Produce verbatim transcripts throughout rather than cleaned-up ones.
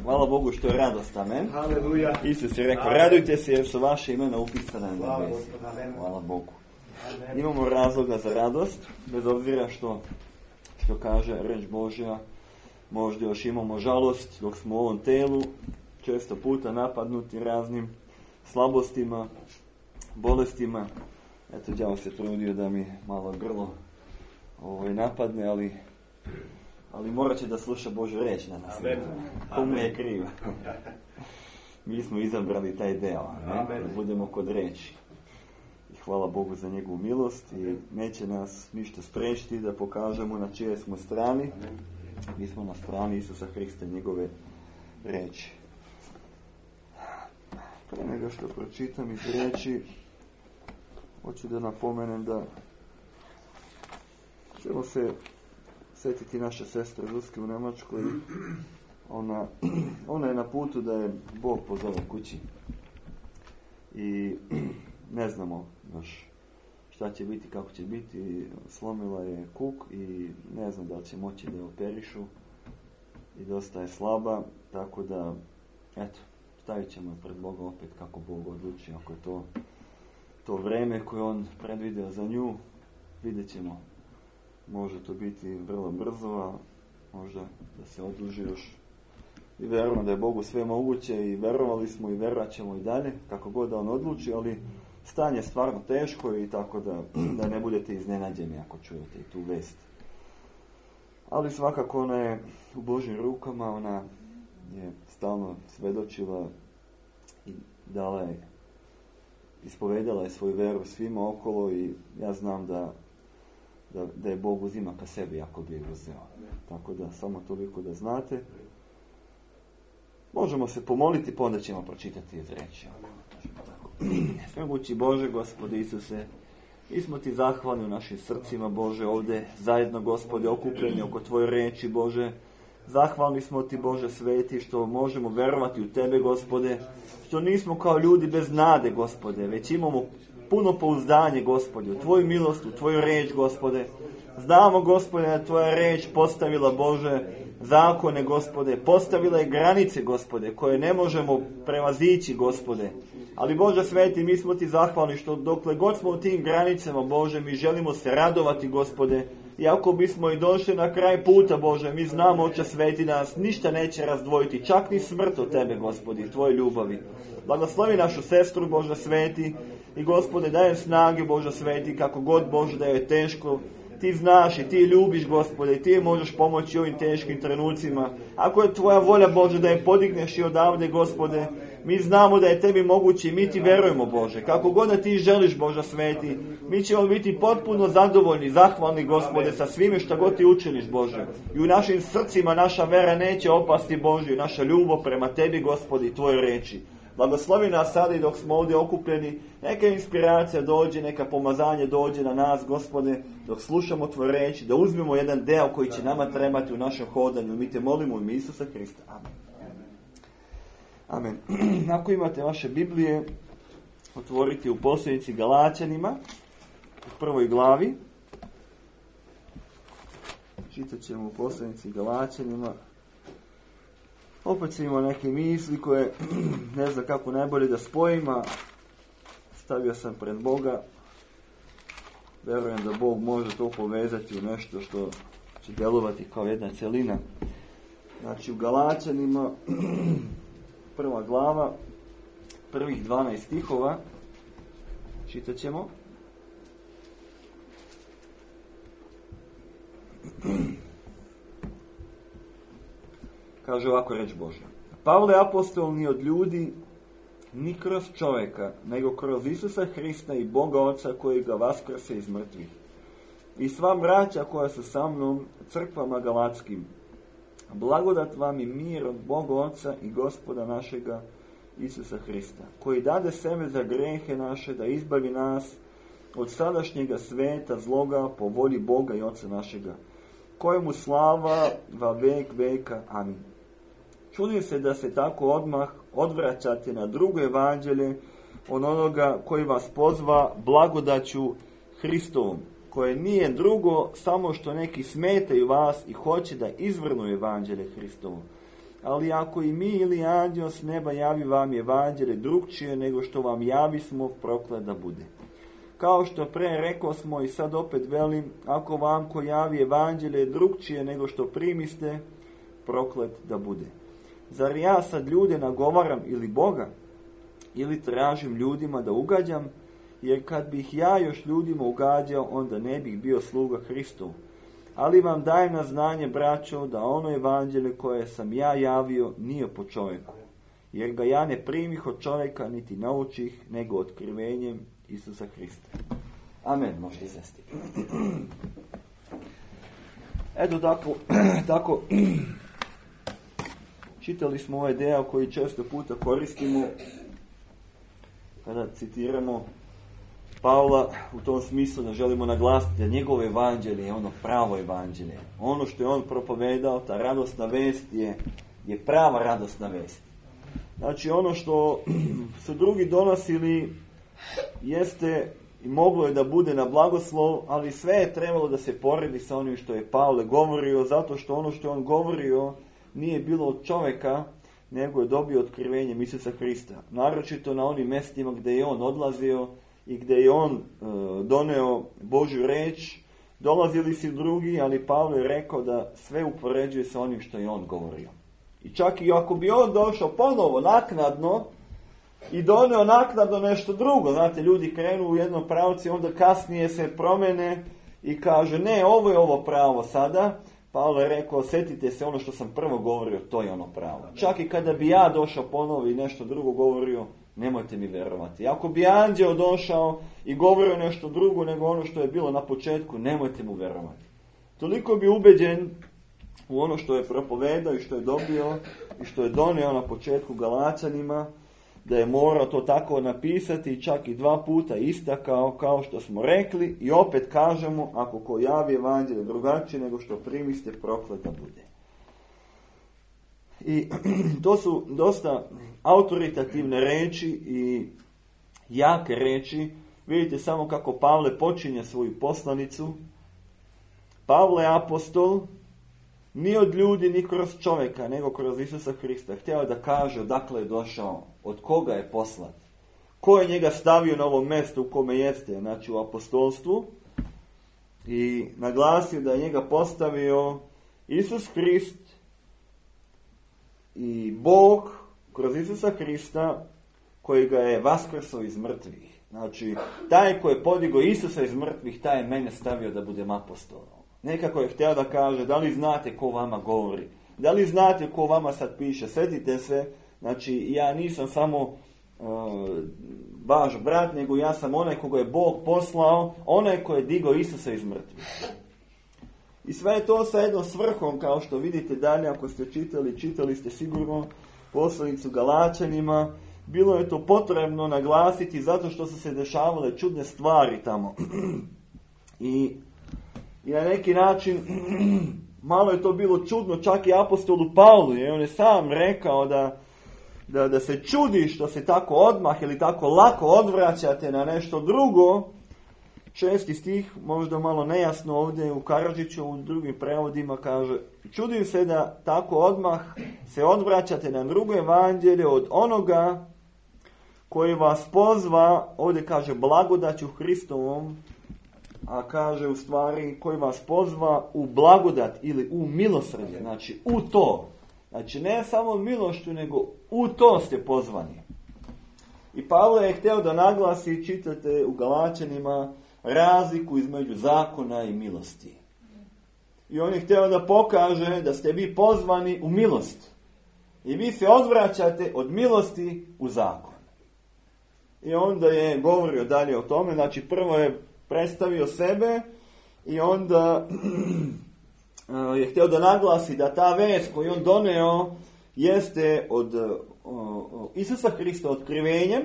Hvala Bogu što je radost, amen. Haleluja. Isus je rekao, Amen. radujte se jer su vaše imena upisana na Hvala nebesi. Gospodu, amen. Hvala Bogu. Amen. Imamo razloga za radost, bez obzira što, što kaže reč Božja. Možda još imamo žalost dok smo u ovom telu, često puta napadnuti raznim slabostima, bolestima. Eto, đavo se trudio da mi malo grlo ovaj, napadne, ali, ali morat će da sluša Božju reč na nas. To mu je krivo. Mi smo izabrali taj deo, ne? Da budemo kod reči. I hvala Bogu za njegovu milost i neće nas ništa sprečiti da pokažemo na čije smo strani. Mi smo na strani Isusa Hrista i njegove reči. Pre nego što pročitam iz reči, hoću da napomenem da ćemo se setiti naše sestre Zuzke u Nemačkoj. Ona, ona je na putu da je Bog pozove kući. I ne znamo još šta će biti, kako će biti. Slomila je kuk i ne znam da li će moći da je operišu. I dosta je slaba, tako da, eto, stavit ćemo pred Boga opet kako Bog odluči. Ako je to, to vreme koje on predvideo za nju, vidjet ćemo. Može to biti vrlo brzo, a možda da se odluži još. I vjerujemo da je Bogu sve moguće i vjerovali smo i vjerovat ćemo i dalje, kako god da on odluči, ali stanje je stvarno teško i tako da, da ne budete iznenađeni ako čujete i tu vest. Ali svakako ona je u Božjim rukama, ona je stalno svedočila i dala je, ispovedala je svoju veru svima okolo i ja znam da, da, da je Bog uzima ka sebi ako bi je uzeo. Tako da samo toliko da znate. Možemo se pomoliti, pa onda ćemo pročitati iz reči. Svemogući Bože, Gospode Isuse, mi smo ti zahvalni u našim srcima, Bože, ovdje zajedno, Gospode, okupljeni oko tvoje reči, Bože. Zahvalni smo ti, Bože sveti, što možemo verovati u tebe, Gospode, što nismo kao ljudi bez nade, Gospode, već imamo puno pouzdanje, Gospode, u tvoju milost, u tvoju reč, Gospode. Znamo, Gospode, da tvoja reč postavila, Bože, zakone, Gospode, postavila je granice, Gospode, koje ne možemo prevazići, Gospode. Ali, Bože sveti, mi smo ti zahvalni što dokle god smo u tim granicama, Bože, mi želimo se radovati, Gospode. Iako bismo i došli na kraj puta, Bože, mi znamo, Oče sveti, da nas ništa neće razdvojiti, čak ni smrt od tebe, Gospodi, tvoje ljubavi. Blagoslovi našu sestru, Bože sveti, i Gospode, dajem snage, Bože sveti, kako god, Bože, da je teško. Ti znaš i ti ljubiš, Gospode, i ti možeš pomoći ovim teškim trenucima. Ako je tvoja volja, Bože, da je podigneš i odavde, Gospode, mi znamo da je tebi moguće i mi ti verujemo, Bože. Kako god da ti želiš, Bože sveti, mi ćemo biti potpuno zadovoljni, zahvalni, Gospode, sa svime što god ti učiniš, Bože. I u našim srcima naša vera neće opasti, Bože, i naša ljubav prema tebi, Gospodi, i tvoje reči. Blagoslovi nas sada i dok smo ovdje okupljeni, neka inspiracija dođe, neka pomazanje dođe na nas, Gospode, dok slušamo tvoje reči, da uzmemo jedan deo koji će nama trebati u našem hodanju. Mi te molimo u ime Isusa Hrista. Amen. Amen. Ako imate vaše Biblije, otvorite u poslanici Galaćanima, u prvoj glavi. Čitat ćemo u poslanici Galaćanima. Opet sam imao neke misli koje ne znam kako najbolje da spojim, a stavio sam pred Boga. Verujem da Bog može to povezati u nešto što će djelovati kao jedna celina. Znači u Galaćanima, prva glava, prvih dvanaest stihova, čitat ćemo. Kaže ovako reč Božja. Pavle apostol ni od ljudi, ni kroz čovjeka, nego kroz Isusa Hrista i Boga Oca koji ga vaskrse iz mrtvih. I sva braća koja su sa mnom, crkvama galatskim. Blagodat vam i mir od Boga Oca i Gospoda našega Isusa Hrista, koji dade sebe za grehe naše da izbavi nas od sadašnjega sveta zloga po volji Boga i Oca našega, kojemu slava va vek veka. Amin. Čudim se da se tako odmah odvraćate na drugo evanđelje od onoga koji vas pozva blagodaću Hristovom, koje nije drugo samo što neki smetaju vas i hoće da izvrnu evanđelje Hristovo. ali ako i mi ili anđeo s neba javi vam evanđelje drugčije nego što vam javi smo, proklet da bude. Kao što pre rekao smo i sad opet velim, ako vam ko javi evanđelje drugčije nego što primiste, proklet da bude. Zar ja sad ljude nagovaram ili Boga, ili tražim ljudima da ugađam, jer kad bih ja još ljudima ugađao, onda ne bih bio sluga Hristov. Ali vam dajem na znanje, braćo, da ono evanđelje koje sam ja javio nije po čovjeku, jer ga ja ne primih od čovjeka, niti naučih, nego otkrivenjem Isusa Hrista. Amen, možete izvesti. Eto tako, tako čitali smo ovaj deo koji često puta koristimo kada citiramo Pavla u tom smislu da želimo naglasiti da njegovo evanđelje je ono pravo evanđelje. Ono što je on propovedao, ta radosna vest je, je prava radosna vest. Znači ono što su drugi donosili jeste i moglo je da bude na blagoslov, ali sve je trebalo da se poredi sa onim što je Pavle govorio, zato što ono što je on govorio nije bilo od čovjeka, nego je dobio otkrivenjem Isusa Hrista. Naročito na onim mjestima gdje je on odlazio i gdje je on e, doneo Božju reč, dolazili su drugi, ali Pavle je rekao da sve upoređuje sa onim što je on govorio. I čak i ako bi on došao ponovo naknadno i doneo naknadno nešto drugo, znate, ljudi krenu u jednom pravcu i onda kasnije se promene i kaže ne, ovo je ovo pravo sada. Pavle je rekao, sjetite se ono što sam prvo govorio, to je ono pravo. Čak i kada bi ja došao ponovo i nešto drugo govorio, nemojte mi vjerovati. Ako bi anđeo došao i govorio nešto drugo nego ono što je bilo na početku, nemojte mu vjerovati. Toliko bi ubeđen u ono što je propovedao i što je dobio i što je donio na početku Galačanima, da je morao to tako napisati i čak i dva puta istakao, kao što smo rekli, i opet kažemo, ako ko javi evanđelje drugačije nego što primiste, proklet da bude. I to su dosta autoritativne reči i jake reči. Vidite samo kako Pavle počinje svoju poslanicu. Pavle apostol, ni od ljudi, ni kroz čovjeka, nego kroz Isusa Hrista. Htio da kaže odakle je došao, od koga je poslat, ko je njega stavio na ovo mjesto u kome jeste, znači u apostolstvu, i naglasio da je njega postavio Isus Hrist i Bog kroz Isusa Hrista koji ga je vaskrsao iz mrtvih. Znači, taj koji je podigao Isusa iz mrtvih, taj je mene stavio da budem apostolom. Nekako je htio da kaže, da li znate ko vama govori? Da li znate ko vama sad piše? Sjetite se, znači ja nisam samo uh, vaš brat, nego ja sam onaj koga je Bog poslao, onaj koji je digao Isusa iz mrtvih. I sve je to sa jednom svrhom, kao što vidite dalje, ako ste čitali, čitali ste sigurno poslanicu Galačanima, bilo je to potrebno naglasiti zato što su se dešavale čudne stvari tamo. I I na neki način malo je to bilo čudno čak i apostolu Pavlu, jer on je sam rekao da, da, da se čudi što se tako odmah ili tako lako odvraćate na nešto drugo. Šesti stih, možda malo nejasno ovdje u Karadžiću, u drugim prevodima kaže, čudim se da tako odmah se odvraćate na drugo evanđelje od onoga koji vas pozva, ovdje kaže blagodaću Hristovom, a kaže u stvari koji vas pozva u blagodat ili u milosrđe, znači u to. Znači ne samo milošću, nego u to ste pozvani. I Pavle je htio da naglasi, čitate u Galačanima, razliku između zakona i milosti. I on je htio da pokaže da ste vi pozvani u milost. I vi se odvraćate od milosti u zakon. I onda je govorio dalje o tome, znači prvo je predstavio sebe i onda je htio da naglasi da ta vest koju on doneo jeste od o, Isusa Hrista otkrivenjem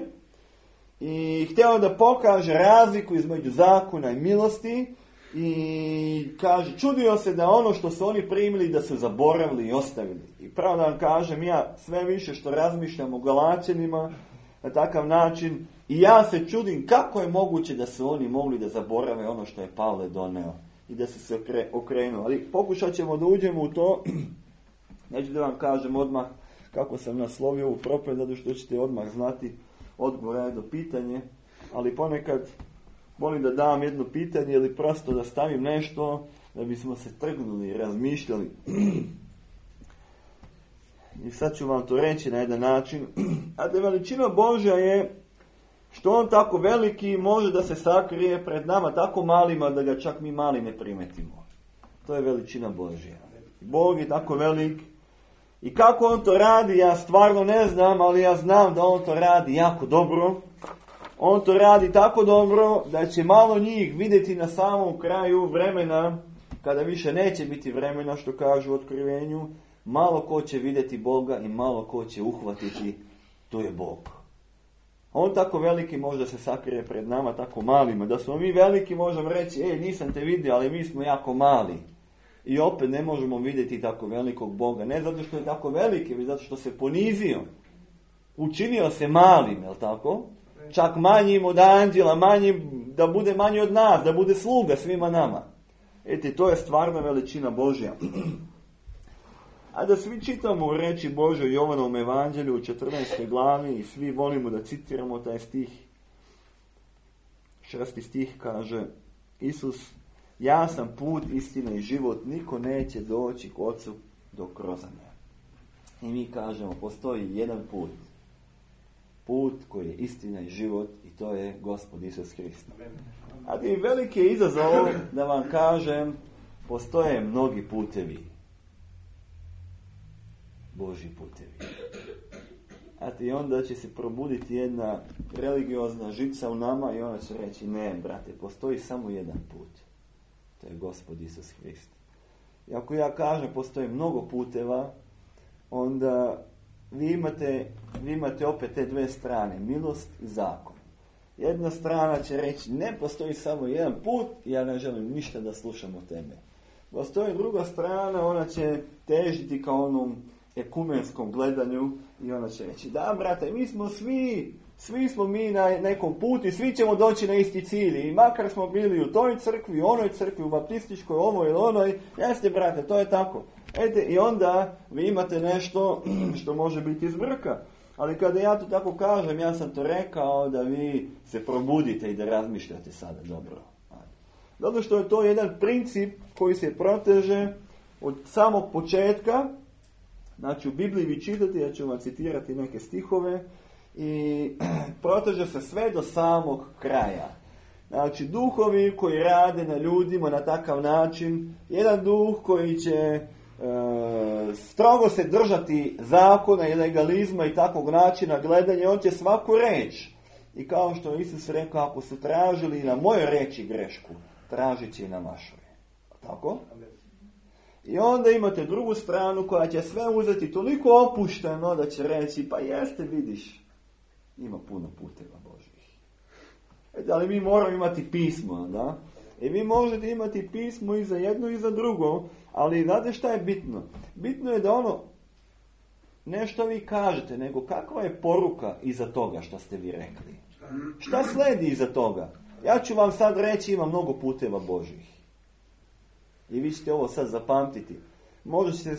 i htio da pokaže razliku između zakona i milosti i kaže, čudio se da ono što su oni primili da su zaboravili i ostavili. I pravo da vam kažem, ja sve više što razmišljam o Galačanima na takav način, i ja se čudim kako je moguće da su oni mogli da zaborave ono što je Pavle doneo i da su se okrenuo. Ali pokušat ćemo da uđemo u to Neću da vam kažem odmah kako sam naslovio ovu propovijed, zato što ćete odmah znati odgovor na jedno pitanje, ali ponekad volim da dam jedno pitanje ili prosto da stavim nešto da bismo se trgnuli i razmišljali. I sad ću vam to reći na jedan način. A da veličina Božja je što on tako veliki može da se sakrije pred nama tako malima da ga čak mi mali ne primetimo. To je veličina Božja. Bog je tako velik. I kako on to radi, ja stvarno ne znam, ali ja znam da on to radi jako dobro. On to radi tako dobro da će malo njih vidjeti na samom kraju vremena, kada više neće biti vremena, što kažu u Otkrivenju, malo ko će vidjeti Boga i malo ko će uhvatiti, to je Bog. On tako veliki može da se sakrije pred nama tako malima. Da smo mi veliki možemo reći, ej, nisam te vidio, ali mi smo jako mali. I opet ne možemo vidjeti tako velikog Boga. Ne zato što je tako veliki, već zato što se ponizio. Učinio se malim, je li tako? Čak manjim od anđela, manjim, da bude manji od nas, da bude sluga svima nama. Eti, to je stvarna veličina Božja. A da svi čitamo u reči Božoj u Jovanovom evanđelju u četrnaestoj glavi i svi volimo da citiramo taj stih. Šesti stih kaže Isus, ja sam put, istina i život, niko neće doći k Ocu dok kroz mene. I mi kažemo, postoji jedan put. Put koji je istina i život i to je Gospod Isus Hrist. A ti veliki je izazov da vam kažem, postoje mnogi putevi. Božji putevi. A ti onda će se probuditi jedna religiozna žica u nama i ona će reći, ne, brate, postoji samo jedan put. To je Gospod Isus Hrist. I ako ja kažem, postoji mnogo puteva, onda vi imate, vi imate opet te dve strane, milost i zakon. Jedna strana će reći, ne postoji samo jedan put, ja ne želim ništa da slušam o tebe. Postoji druga strana, ona će težiti kao onom ekumenskom gledanju i ona će reći, da brate, mi smo svi, svi smo mi na nekom putu i svi ćemo doći na isti cilj. I makar smo bili u toj crkvi, u onoj crkvi, u baptističkoj, ovoj ili onoj, jeste brate, to je tako. Ete, i onda vi imate nešto što može biti iz vrka. Ali kada ja to tako kažem, ja sam to rekao da vi se probudite i da razmišljate sada dobro. Zato što je to jedan princip koji se proteže od samog početka. Znači u Bibliji vi čitate, ja ću vam citirati neke stihove, i proteže se sve do samog kraja. Znači duhovi koji rade na ljudima na takav način, jedan duh koji će e, strogo se držati zakona i legalizma i takvog načina gledanja, on će svaku reč. I kao što je Isus rekao, ako su tražili na mojoj reči grešku, tražit će i na vašoj. Tako? I onda imate drugu stranu koja će sve uzeti toliko opušteno da će reći, pa jeste, vidiš, ima puno puteva Božjih. E, ali mi moramo imati pismo, da? I vi možete imati pismo i za jedno i za drugo, ali znate šta je bitno? Bitno je da ono, ne što vi kažete, nego kakva je poruka iza toga što ste vi rekli. Šta sledi iza toga? Ja ću vam sad reći, ima mnogo puteva Božjih. I vi ćete ovo sad zapamtiti. Možda ćete,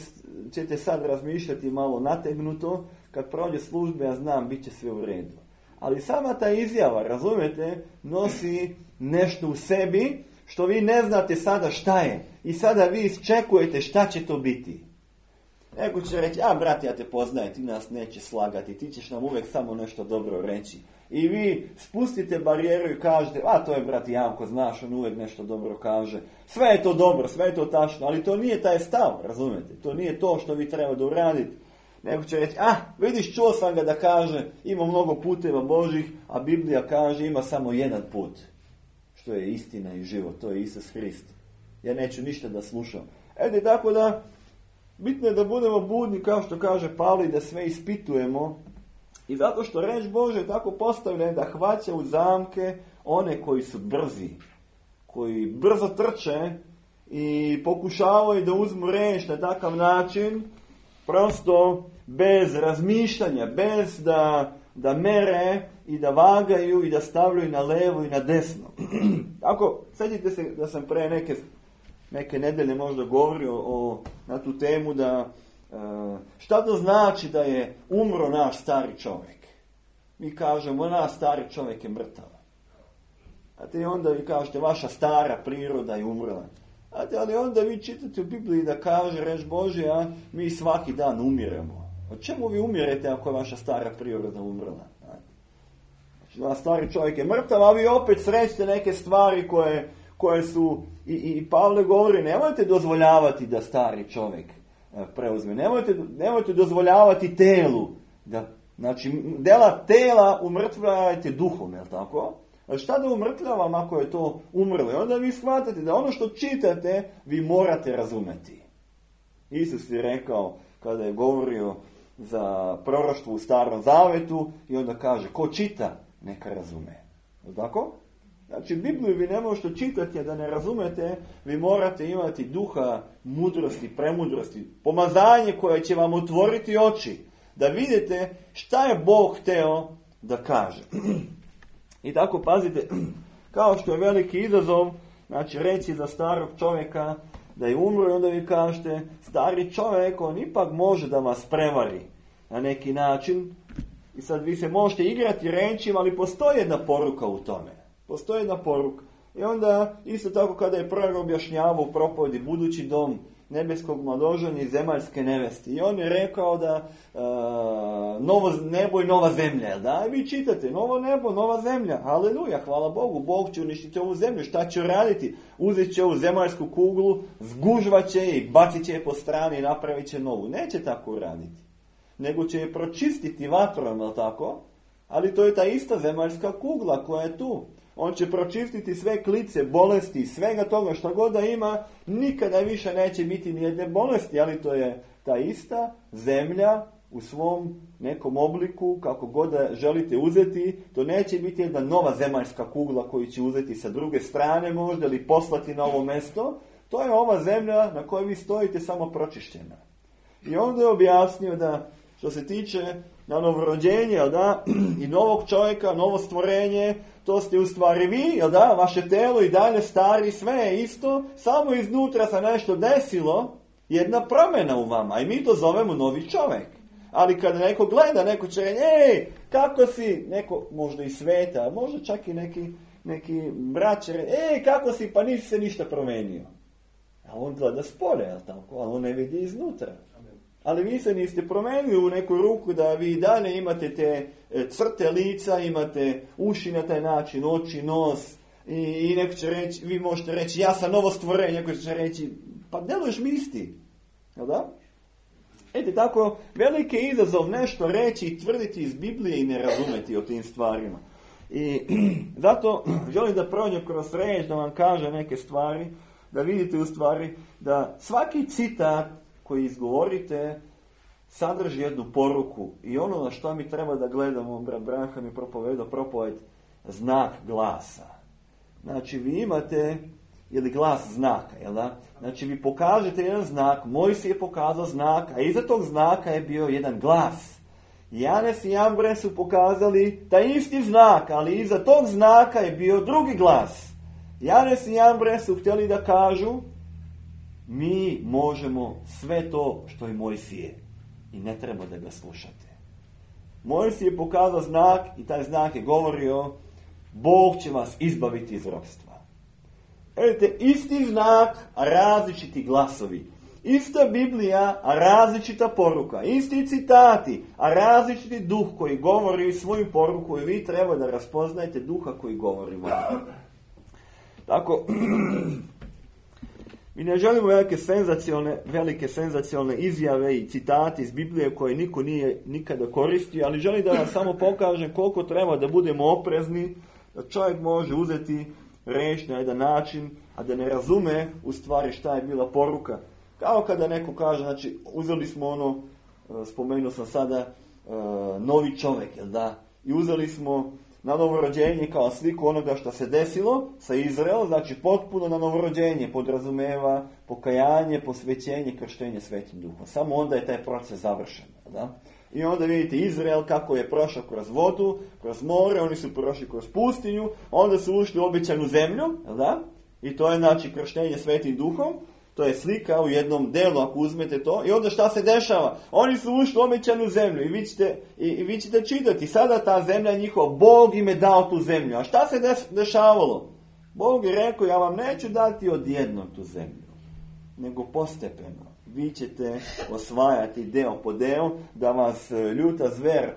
ćete sad razmišljati malo nategnuto, kad prođe službe, ja znam, bit će sve u redu. Ali sama ta izjava, razumijete, nosi nešto u sebi, što vi ne znate sada šta je. I sada vi isčekujete šta će to biti. Neko će reći, a brate, ja te poznajem, ti nas neće slagati, ti ćeš nam uvijek samo nešto dobro reći. I vi spustite barijeru i kažete, a to je brat Janko, znaš, on uvijek nešto dobro kaže. Sve je to dobro, sve je to tačno, ali to nije taj stav, razumijete? To nije to što vi treba da uradite. Neko će reći, a vidiš, čuo sam ga da kaže, ima mnogo puteva Božih, a Biblija kaže, ima samo jedan put. Što je istina i život, to je Isus Hrist. Ja neću ništa da slušam. Ede, tako da, bitno je da budemo budni, kao što kaže Pavle, da sve ispitujemo. I zato što reč Bože je tako postavljena da hvaća u zamke one koji su brzi, koji brzo trče i pokušavaju da uzmu reč na takav način, prosto bez razmišljanja, bez da, da mere i da vagaju i da stavljaju na levo i na desno. Tako, sjetite se da sam pre neke, neke nedelje možda govorio o, na tu temu da šta to znači da je umro naš stari čovjek? Mi kažemo, naš stari čovjek je mrtav. A te onda vi kažete, vaša stara priroda je umrla. A te, ali onda vi čitate u Bibliji da kaže, reč Božja, mi svaki dan umiremo. O čemu vi umirete ako je vaša stara priroda umrla? Znači, vaš stari čovjek je mrtav, a vi opet srećete neke stvari koje, koje su, i, i Pavle govori, nemojte dozvoljavati da stari čovjek preuzme. Nemojte, nemojte dozvoljavati telu. Da, znači, dela tela umrtvljavajte duhom, je li tako? A šta da umrtljavam ako je to umrlo? I onda vi shvatate da ono što čitate, vi morate razumeti. Isus je rekao, kada je govorio za proroštvo u Starom Zavetu, i onda kaže, ko čita, neka razume. Je li tako? Znači, Bibliju vi ne možete čitati, a da ne razumete, vi morate imati duha mudrosti, premudrosti, pomazanje koje će vam otvoriti oči, da vidite šta je Bog hteo da kaže. I tako, pazite, kao što je veliki izazov, znači reći za starog čovjeka da je umro, i onda vi kažete, stari čovjek, on ipak može da vas prevari na neki način. I sad vi se možete igrati rečima, ali postoji jedna poruka u tome. Postoji jedna poruka. I onda, isto tako kada je prorok objašnjavao u propovedi budući dom nebeskog mladoženja i zemaljske nevesti. I on je rekao da uh, novo nebo i nova zemlja. Da, i vi čitate, novo nebo, nova zemlja. Haleluja, hvala Bogu. Bog će uništiti ovu zemlju. Šta će raditi? Uzet će ovu zemaljsku kuglu, zgužvat će je i bacit će je po strani i napravit će novu. Neće tako raditi. Nego će je pročistiti vatrom, jel tako? Ali to je ta ista zemaljska kugla koja je tu. On će pročistiti sve klice, bolesti, svega toga što god da ima, nikada više neće biti nijedne bolesti, ali to je ta ista zemlja u svom nekom obliku, kako god da želite uzeti, to neće biti jedna nova zemaljska kugla koju će uzeti sa druge strane možda ili poslati na ovo mesto, to je ova zemlja na kojoj vi stojite samo pročišćena. I onda je objasnio da što se tiče na novorođenje, da, i novog čovjeka, novo stvorenje, to ste u stvari vi, jel da, vaše telo i dalje stari, sve je isto, samo iznutra se nešto desilo, jedna promjena u vama, i mi to zovemo novi čovjek. Ali kada neko gleda, neko će reći, ej, kako si, neko možda i sveta, možda čak i neki, neki brat će reći, ej, kako si, pa nisi se ništa promenio. A on gleda spolje, jel tako, ali on ne vidi iznutra. Ali vi se niste promenili u neku ruku da vi dalje imate te crte lica, imate uši na taj način, oči, nos, i, i neko će reći, vi možete reći, ja sam novo stvorenje, neko će reći, pa deluješ mi isti. Jel da? Ete, tako, veliki je izazov nešto reći i tvrditi iz Biblije i ne razumeti o tim stvarima. I zato želim da prođem kroz reč, da vam kažem neke stvari, da vidite u stvari da svaki citat koji izgovorite sadrži jednu poruku i ono na što mi treba da gledamo, brat Branham mi propovedao propoved, znak glasa. Znači vi imate, ili glas znaka, jel da? Znači vi pokažete jedan znak, Mojsije je pokazao znak, a iza tog znaka je bio jedan glas. Janes i Jambre su pokazali taj isti znak, ali iza tog znaka je bio drugi glas. Janes i Jambre su htjeli da kažu, mi možemo sve to što je Mojsije i ne treba da ga slušate. Mojsije je pokazao znak i taj znak je govorio, Bog će vas izbaviti iz ropstva. Vidite, isti znak, a različiti glasovi. Ista Biblija, a različita poruka. Isti citati, a različiti duh koji govori svoju poruku i vi treba da raspoznajete duha koji govori vam. Tako, mi ne želimo velike senzacione, velike senzacione izjave i citati iz Biblije koje niko nije nikada koristio, ali želim da vam samo pokažem koliko treba da budemo oprezni, da čovjek može uzeti reč na jedan način, a da ne razume u stvari šta je bila poruka. Kao kada neko kaže, znači, uzeli smo ono, spomenuo sam sada, novi čovjek, jel da? I uzeli smo na novorođenje kao sliku onoga što se desilo sa Izraelom, znači potpuno na novorođenje podrazumeva pokajanje, posvećenje, krštenje Svetim Duhom. Samo onda je taj proces završen. Da? I onda vidite Izrael kako je prošao kroz vodu, kroz more, oni su prošli kroz pustinju, onda su ušli u obećanu zemlju, da? I to je znači krštenje Svetim Duhom. To je slika u jednom delu, ako uzmete to. I onda šta se dešava? Oni su ušli u obećanu zemlju i vi ćete, i, i vi ćete čitati. Sada ta zemlja je njihova. Bog im je dao tu zemlju. A šta se dešavalo? Bog je rekao, ja vam neću dati odjednom tu zemlju, nego postepeno. Vi ćete osvajati deo po deo, da vas ljuta zver e,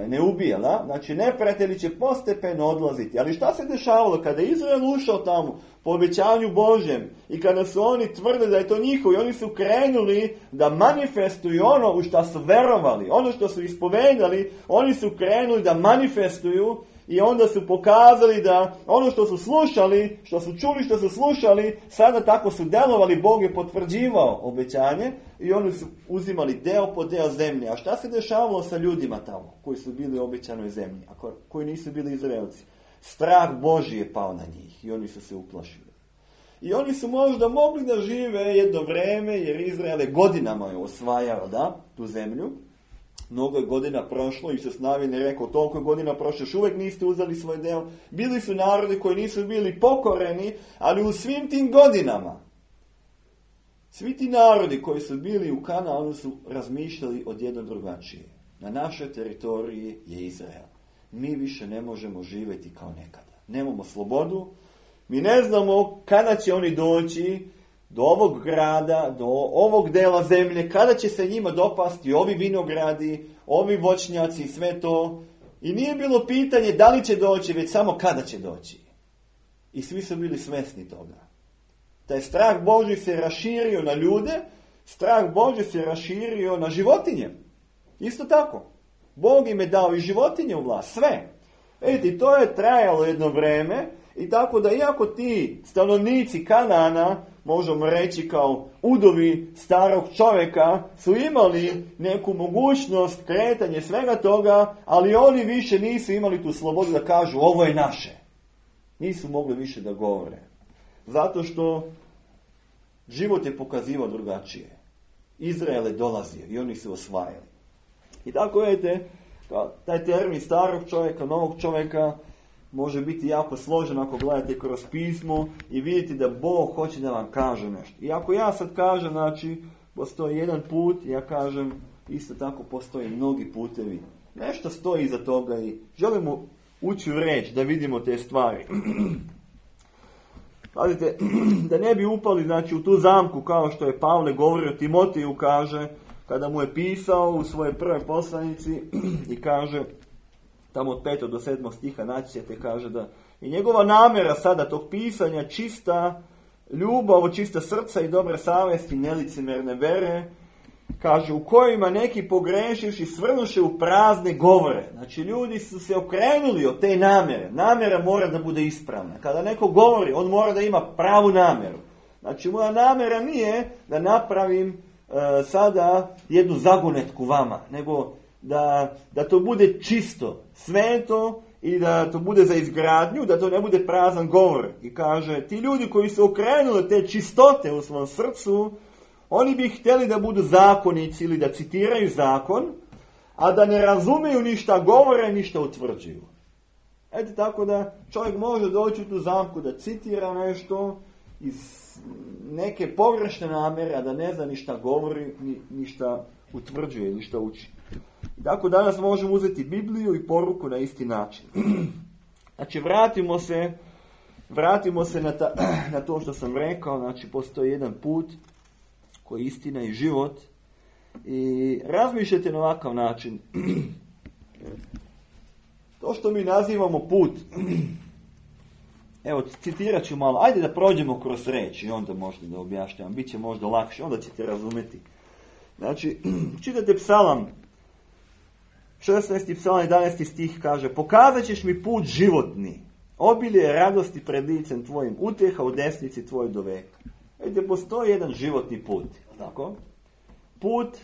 ne ubijala. Znači, neprijatelji će postepeno odlaziti. Ali šta se dešavalo kada je Izrael ušao tamo po obećanju Božjem i kada su oni tvrdili da je to njihovo i oni su krenuli da manifestuju ono u što su verovali, ono što su ispovedali, oni su krenuli da manifestuju i onda su pokazali da ono što su slušali, što su čuli, što su slušali, sada tako su delovali, Bog je potvrđivao obećanje i oni su uzimali deo po deo zemlje. A šta se dešavalo sa ljudima tamo koji su bili u obećanoj zemlji, a koji nisu bili Izraelci? Strah Božji je pao na njih i oni su se uplašili. I oni su možda mogli da žive jedno vreme, jer Izrael je godinama je osvajao, da, tu zemlju. Mnogo je godina prošlo, Isus Navin je rekao, toliko je godina prošlo, još uvijek niste uzeli svoj deo. Bili su narodi koji nisu bili pokoreni, ali u svim tim godinama, svi ti narodi koji su bili u Kanaanu su razmišljali odjedno drugačije. Na našoj teritoriji je Izrael. Mi više ne možemo živjeti kao nekada. Nemamo slobodu, mi ne znamo kada će oni doći do ovog grada, do ovog dela zemlje, kada će se njima dopasti ovi vinogradi, ovi voćnjaci i sve to. I nije bilo pitanje da li će doći, već samo kada će doći. I svi su bili svjesni toga. Taj strah Božji se raširio na ljude, strah Božji se raširio na životinje. Isto tako. Bog im je dao i životinje u vlast, sve. Vidite, to je trajalo jedno vreme i tako da iako ti stanovnici Kanaana, možemo reći kao udovi starog čovjeka, su imali neku mogućnost kretanja svega toga, ali oni više nisu imali tu slobodu da kažu ovo je naše. Nisu mogli više da govore. Zato što život je pokazivao drugačije. Izrael je dolazio i oni su osvajali. I tako vidite, taj termin starog čovjeka, novog čovjeka, može biti jako složen ako gledate kroz pismo i vidite da Bog hoće da vam kaže nešto. I ako ja sad kažem, znači, postoji jedan put, ja kažem, isto tako postoje mnogi putevi. Nešto stoji iza toga i želimo ući u reč da vidimo te stvari. Pazite, da ne bi upali, znači, u tu zamku kao što je Pavle govorio Timoteju, kaže, kada mu je pisao u svojoj prvoj poslanici i kaže, tamo od petog do sedmog stiha naći ćete, kaže da i njegova namjera sada tog pisanja čista ljubav, čista srca i dobre savjesti, nelicemerne vere, kaže, u kojima neki pogrešivši svrnuše u prazne govore. Znači, ljudi su se okrenuli od te namjere. Namjera mora da bude ispravna. Kada neko govori, on mora da ima pravu namjeru. Znači, moja namjera nije da napravim e, sada jednu zagonetku vama, nego da, da to bude čisto, sveto i da to bude za izgradnju, da to ne bude prazan govor. I kaže, ti ljudi koji su okrenuli te čistote u svom srcu, oni bi htjeli da budu zakonici ili da citiraju zakon, a da ne razumiju ništa govore, ništa utvrđuju. Eto tako da čovjek može doći u tu zamku da citira nešto iz neke pogrešne namjere, a da ne zna ništa govori, ni, ništa utvrđuje, ništa uči. I tako danas možemo uzeti Bibliju i poruku na isti način. Znači vratimo se, vratimo se na, ta, na to što sam rekao, znači postoji jedan put koji je istina i život i razmišljajte na ovakav način. To što mi nazivamo put, evo citirat ću malo, ajde da prođemo kroz reč i onda možete da objašnjavam, bit će možda lakše, onda ćete razumjeti. Znači, čitate Psalam, šesnaesti psalam, jedanaesti stih kaže, pokazat ćeš mi put životni, obilje radosti pred licem tvojim, utjeha u desnici tvoj do veka. Vidite, postoji jedan životni put, tako? Put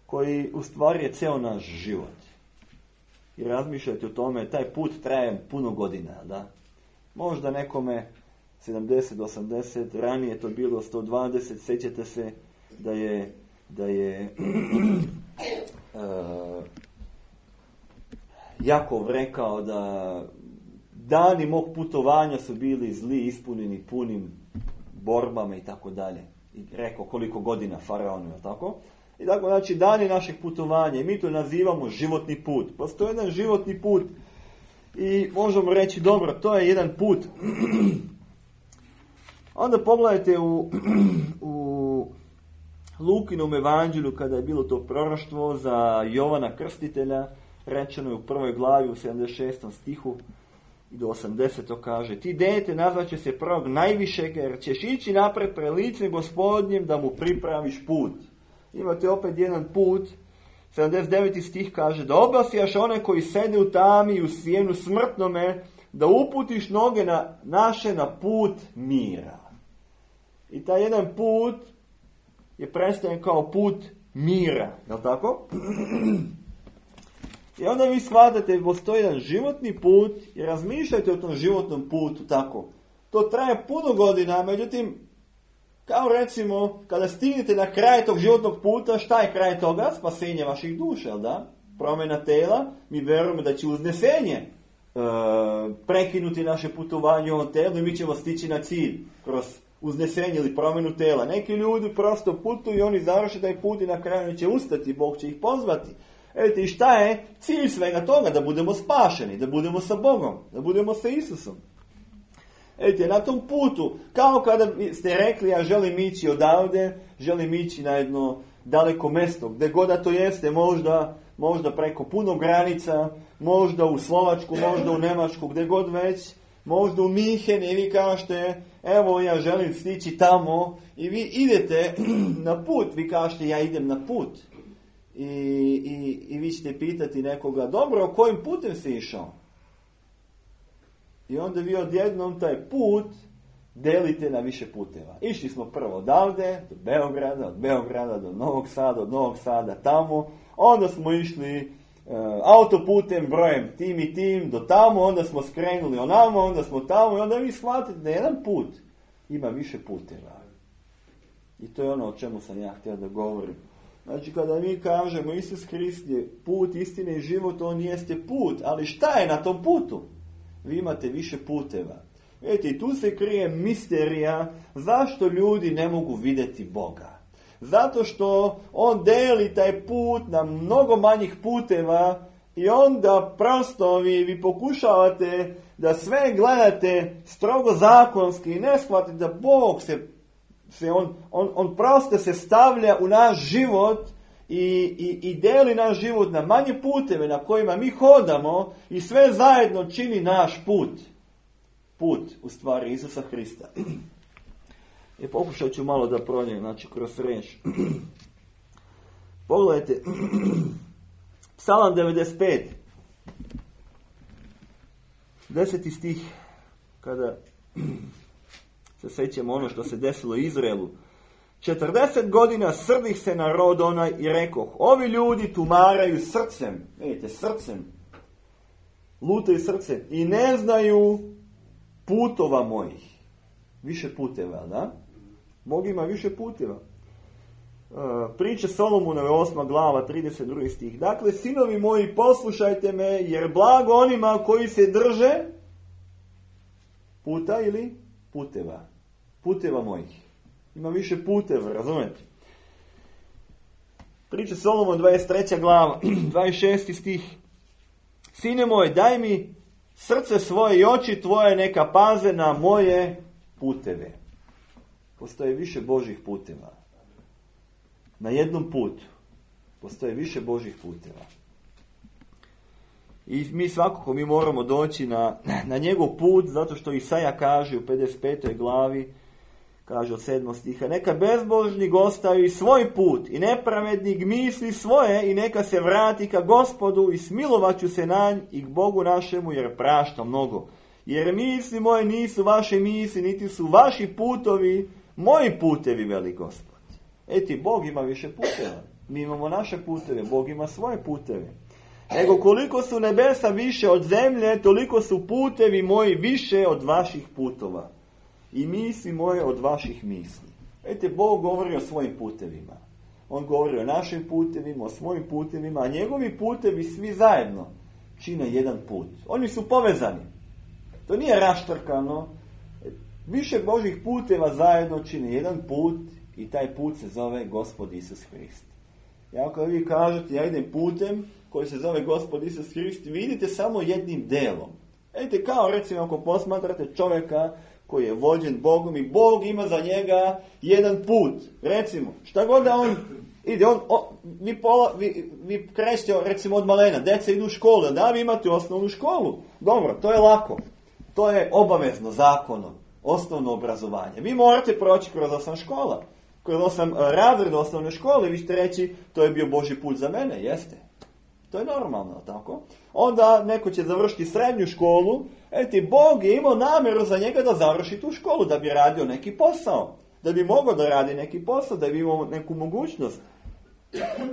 koji u stvari je ceo naš život. I razmišljajte o tome, taj put traje puno godina, da? Možda nekome sedamdeset, osamdeset, ranije to bilo sto dvadeset, sjećate se da je, da je uh, Jakov rekao da dani mog putovanja su bili zli, ispunjeni punim borbama i tako dalje. I rekao koliko godina faraonu, je tako? I tako, znači, dani našeg putovanja, i mi to nazivamo životni put. Postoji jedan životni put i možemo reći, dobro, to je jedan put. Onda pogledajte u, u Lukinom evanđelju, kada je bilo to proroštvo za Jovana Krstitelja, rečeno je u prvoj glavi u sedamdeset šestom stihu i do osamdesetog kaže: ti dete nazvaće se prorok najvišeg, jer ćeš ići napred pred licem Gospodnjem da mu pripraviš put. Imate opet jedan put. sedamdeset deveti stih kaže: da obasijaš one koji sede u tami i u sjenu smrtnome, da uputiš noge na, naše na put mira. I taj jedan put je predstavljen kao put mira. Je li tako? I onda vi shvatate, postoji jedan životni put i razmišljajte o tom životnom putu tako. To traje puno godina, međutim, kao recimo, kada stignete na kraj tog životnog puta, šta je kraj toga? Spasenje vaših duša, jel da? Promjena tela, mi verujemo da će uznesenje e, prekinuti naše putovanje u ovom telu i mi ćemo stići na cilj kroz uznesenje ili promjenu tela. Neki ljudi prosto putuju i oni završe taj put i na kraju će ustati, Bog će ih pozvati. Evo i šta je cilj svega toga? Da budemo spašeni, da budemo sa Bogom, da budemo sa Isusom. Evo na tom putu, kao kada ste rekli, ja želim ići odavde, želim ići na jedno daleko mjesto, gdje god da to jeste, možda, možda preko puno granica, možda u Slovačku, možda u Njemačku, gdje god već, možda u Minhen i vi kažete, evo ja želim stići tamo i vi idete na put, vi kažete ja idem na put. I, i, i vi ćete pitati nekoga, dobro, kojim putem si išao? I onda vi odjednom taj put delite na više puteva. Išli smo prvo odavde, do Beograda, od Beograda do Novog Sada, od Novog Sada tamo, onda smo išli e, autoputem brojem tim i tim do tamo, onda smo skrenuli onamo, onda smo tamo i onda vi shvatite da jedan put ima više puteva. I to je ono o čemu sam ja htio da govorim. Znači, kada mi kažemo Isus Hrist je put, istine i život, on jeste put. Ali šta je na tom putu? Vi imate više puteva. Vidite, i tu se krije misterija zašto ljudi ne mogu vidjeti Boga. Zato što on deli taj put na mnogo manjih puteva i onda prosto vi, vi pokušavate da sve gledate strogo zakonski i ne shvatite da Bog se Se on, on, on prosto se stavlja u naš život i, i, i deli naš život na manje puteve na kojima mi hodamo i sve zajedno čini naš put. Put, u stvari, Isusa Hrista. I pokušat ću malo da prođem, znači, kroz riječ. Pogledajte, Psalam devedeset pet, deseti stih, kada se sjećamo ono što se desilo Izraelu. četrdeset godina srdih se narod onaj i rekoh, ovi ljudi tumaraju srcem, vidite, srcem, lutaju srcem i ne znaju putova mojih. Više puteva, da? Bog ima više puteva. Priče Solomonove osma glava, trideset drugi stih. Dakle, sinovi moji, poslušajte me, jer blago onima koji se drže puta ili puteva. Puteva mojih. Ima više puteva, razumete? Priče Solomon dvadeset treća glava, dvadeset šesti stih. Sine moj, daj mi srce svoje i oči tvoje neka paze na moje puteve. Postoje više Božih puteva. Na jednom putu postoje više Božih puteva. I mi svakako mi moramo doći na, na njegov put, zato što Isaja kaže u pedeset petoj glavi, kaže od sedmog stiha, neka bezbožnik ostavi svoj put i nepravednik misli svoje i neka se vrati ka Gospodu i smilovaću se na nj i k Bogu našemu jer prašta mnogo. Jer misli moje nisu vaše misli, niti su vaši putovi moji putevi, veli Gospod. Eti, Bog ima više puteva. Mi imamo naše puteve, Bog ima svoje puteve. Nego koliko su nebesa više od zemlje, toliko su putevi moji više od vaših putova. I misli moje od vaših misli. Vidite, Bog govori o svojim putevima. On govori o našim putevima, o svojim putevima, a njegovi putevi svi zajedno čine jedan put. Oni su povezani. To nije raštrkano. Više Božih puteva zajedno čine jedan put i taj put se zove Gospod Isus Hrist. I ako vi kažete ja idem putem koji se zove Gospod Isus Hrist, vi idete samo jednim delom. Vidite, kao recimo ako posmatrate čovjeka koji je vođen Bogom i Bog ima za njega jedan put. Recimo, šta god da on ide, on, on, vi, pola, vi, vi krećete recimo od malena, djeca idu u školu, da vi imate osnovnu školu. Dobro, to je lako. To je obavezno zakonom, osnovno obrazovanje. Vi morate proći kroz osam škola. Kroz osam razreda osnovne škole, vi ćete reći, to je bio Božji put za mene, jeste. To je normalno, tako? Onda neko će završiti srednju školu, eti, Bog je imao namjeru za njega da završi tu školu, da bi radio neki posao. Da bi mogao da radi neki posao, da bi imao neku mogućnost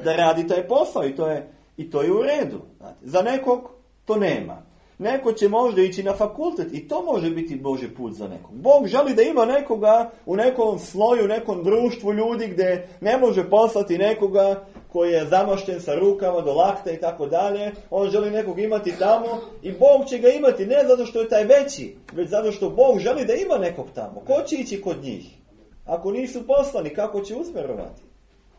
da radi taj posao i to je, i to je u redu. Znate. Za nekog to nema. Neko će možda ići na fakultet i to može biti Božji put za nekog. Bog želi da ima nekoga u nekom sloju, u nekom društvu ljudi gdje ne može poslati nekoga koji je zamašten sa rukama do lakta i tako dalje. On želi nekog imati tamo i Bog će ga imati ne zato što je taj veći, već zato što Bog želi da ima nekog tamo. Ko će ići kod njih? Ako nisu poslani, kako će usmjerovati?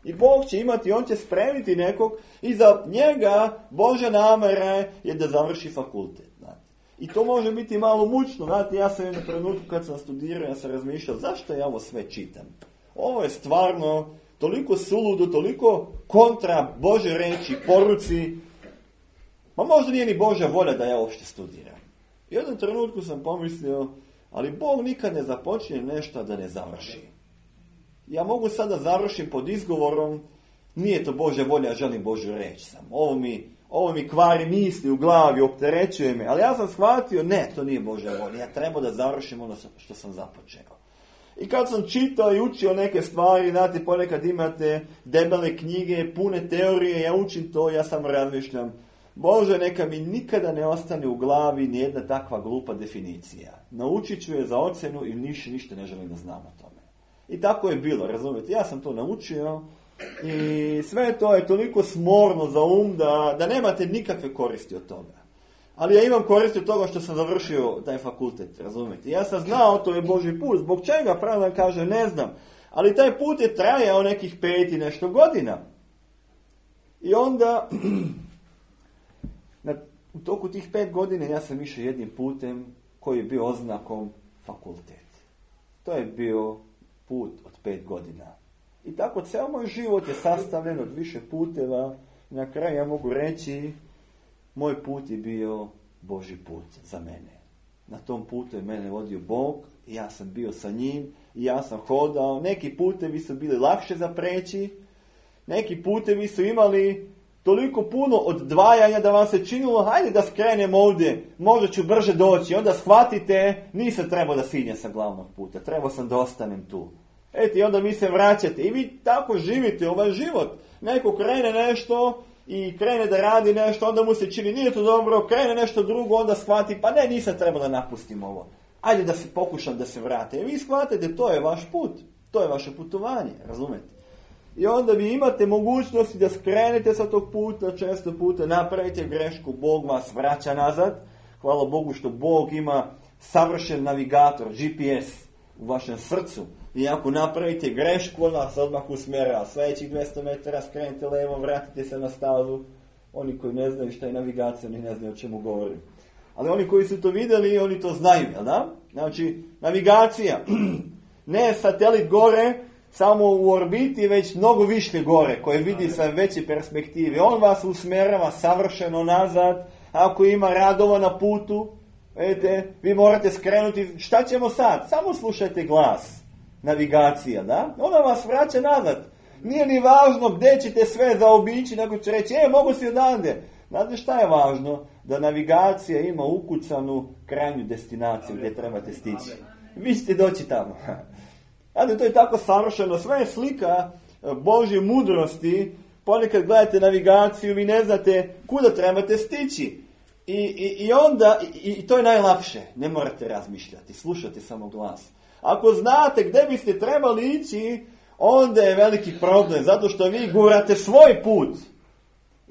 I Bog će imati, on će spremiti nekog i za njega Božja namjera je da završi fakultet. Znate. I to može biti malo mučno. Znate, ja sam jednom trenutku kad sam studirao, ja sam razmišljao zašto ja ovo sve čitam. Ovo je stvarno toliko suludo, toliko kontra Božje reči, poruci. Ma možda nije ni Božja volja da ja uopšte studiram. I u jednom trenutku sam pomislio, ali Bog nikad ne započne nešto da ne završi. Ja mogu sada završim pod izgovorom, nije to Božja volja, ja želim Božju reći sam. Ovo mi, ovo mi kvari misli u glavi, opterećuje me. Ali ja sam shvatio, ne, to nije Božja volja. Ja treba da završim ono što sam započeo. I kad sam čitao i učio neke stvari, znate, ponekad imate debele knjige, pune teorije, ja učim to, ja samo razmišljam, Bože, neka mi nikada ne ostane u glavi nijedna takva glupa definicija. Naučit ću je za ocenu i niš, ništa ne želim da znam o tome. I tako je bilo, razumijete, ja sam to naučio i sve to je toliko smorno za um da, da nemate nikakve koristi od toga. Ali ja imam koristi od toga što sam završio taj fakultet, razumijete. Ja sam znao, to je Božji put, zbog čega, pravno kaže, ne znam. Ali taj put je trajao nekih pet i nešto godina. I onda, na, u toku tih pet godina ja sam išao jednim putem koji je bio oznakom fakultet. To je bio put od pet godina. I tako ceo moj život je sastavljen od više puteva. I na kraju ja mogu reći, moj put je bio Božji put za mene. Na tom putu je mene vodio Bog, i ja sam bio sa njim, i ja sam hodao. Neki putevi su bili lakše za preći, neki putevi su imali toliko puno odvajanja da vam se činilo, hajde da skrenem ovdje, možda ću brže doći. Onda shvatite, nisam trebao da sinjem sa glavnog puta, trebao sam da ostanem tu. Eto, i onda vi se vraćate i vi tako živite ovaj život. Neko krene nešto i krene da radi nešto, onda mu se čini nije to dobro, krene nešto drugo, onda shvati, pa ne, nisam trebao da napustim ovo. Ajde da se pokušam da se vrate. I vi shvatite, to je vaš put, to je vaše putovanje, razumete? I onda vi imate mogućnosti da skrenete sa tog puta, često puta napravite grešku, Bog vas vraća nazad. Hvala Bogu što Bog ima savršen navigator, G P S u vašem srcu. I ako napravite grešku, on vas odmah usmjerava. Sljedećih dvjesto metara skrenite levo, vratite se na stazu. Oni koji ne znaju šta je navigacija, oni ne znaju o čemu govorim. Ali oni koji su to vidjeli, oni to znaju, jel da? Znači, navigacija, ne satelit gore, samo u orbiti, već mnogo više gore, koje vidi sa veće perspektive. On vas usmjerava savršeno nazad. Ako ima radova na putu, vidite, vi morate skrenuti. Šta ćemo sad? Samo slušajte glas. Navigacija, da? Ona vas vraća nazad. Nije ni važno gdje ćete sve zaobići, nego će reći, e, mogu si odande. Znate šta je važno? Da navigacija ima ukucanu krajnju destinaciju gdje trebate stići. Vi ćete doći tamo. Znate, to je tako savršeno. Sve je slika Božje mudrosti. Ponekad gledate navigaciju, vi ne znate kuda trebate stići. I, i, i onda, i, i to je najlakše. Ne morate razmišljati, slušate samo glas. Ako znate gdje biste trebali ići, onda je veliki problem, zato što vi gurate svoj put.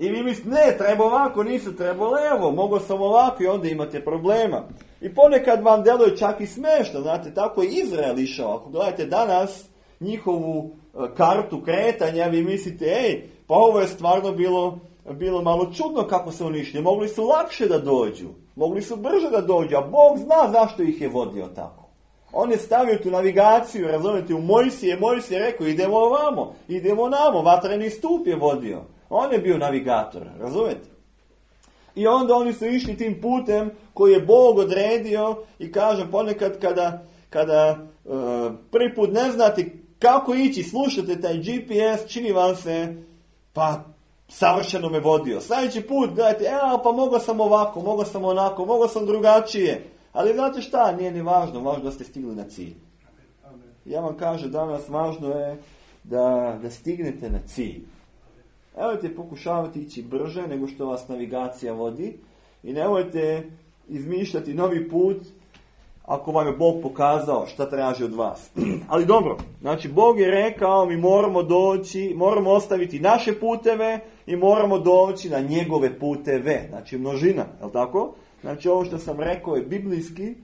I vi mislite, ne, treba ovako, nisu trebalo, evo, mogo sam ovako i onda imate problema. I ponekad vam deluje čak i smešno, znate, tako je Izrael išao. Ako gledate danas njihovu kartu kretanja, vi mislite, ej, pa ovo je stvarno bilo, bilo malo čudno kako su oni išli. Mogli su lakše da dođu, mogli su brže da dođu, a Bog zna zašto ih je vodio tako. On je stavio tu navigaciju, razumijete, u Mojsije, Mojsije je rekao, idemo ovamo, idemo namo, vatreni stup je vodio. On je bio navigator, razumijete? I onda oni su išli tim putem koji je Bog odredio i kažem, ponekad kada, kada e, prvi put ne znate kako ići, slušate taj G P S, čini vam se, pa savršeno me vodio. Sljedeći put gledajte, evo pa mogao sam ovako, mogao sam onako, mogao sam drugačije. Ali znate šta, nije ni važno, važno da ste stigli na cilj. Ja vam kažem danas, važno je da, da stignete na cilj. Nemojte pokušavati ići brže nego što vas navigacija vodi i nemojte izmišljati novi put ako vam je Bog pokazao šta traži od vas. Ali dobro, znači Bog je rekao mi moramo doći, moramo ostaviti naše puteve i moramo doći na njegove puteve. Znači množina, je li tako? Znači ovo što sam rekao je biblijski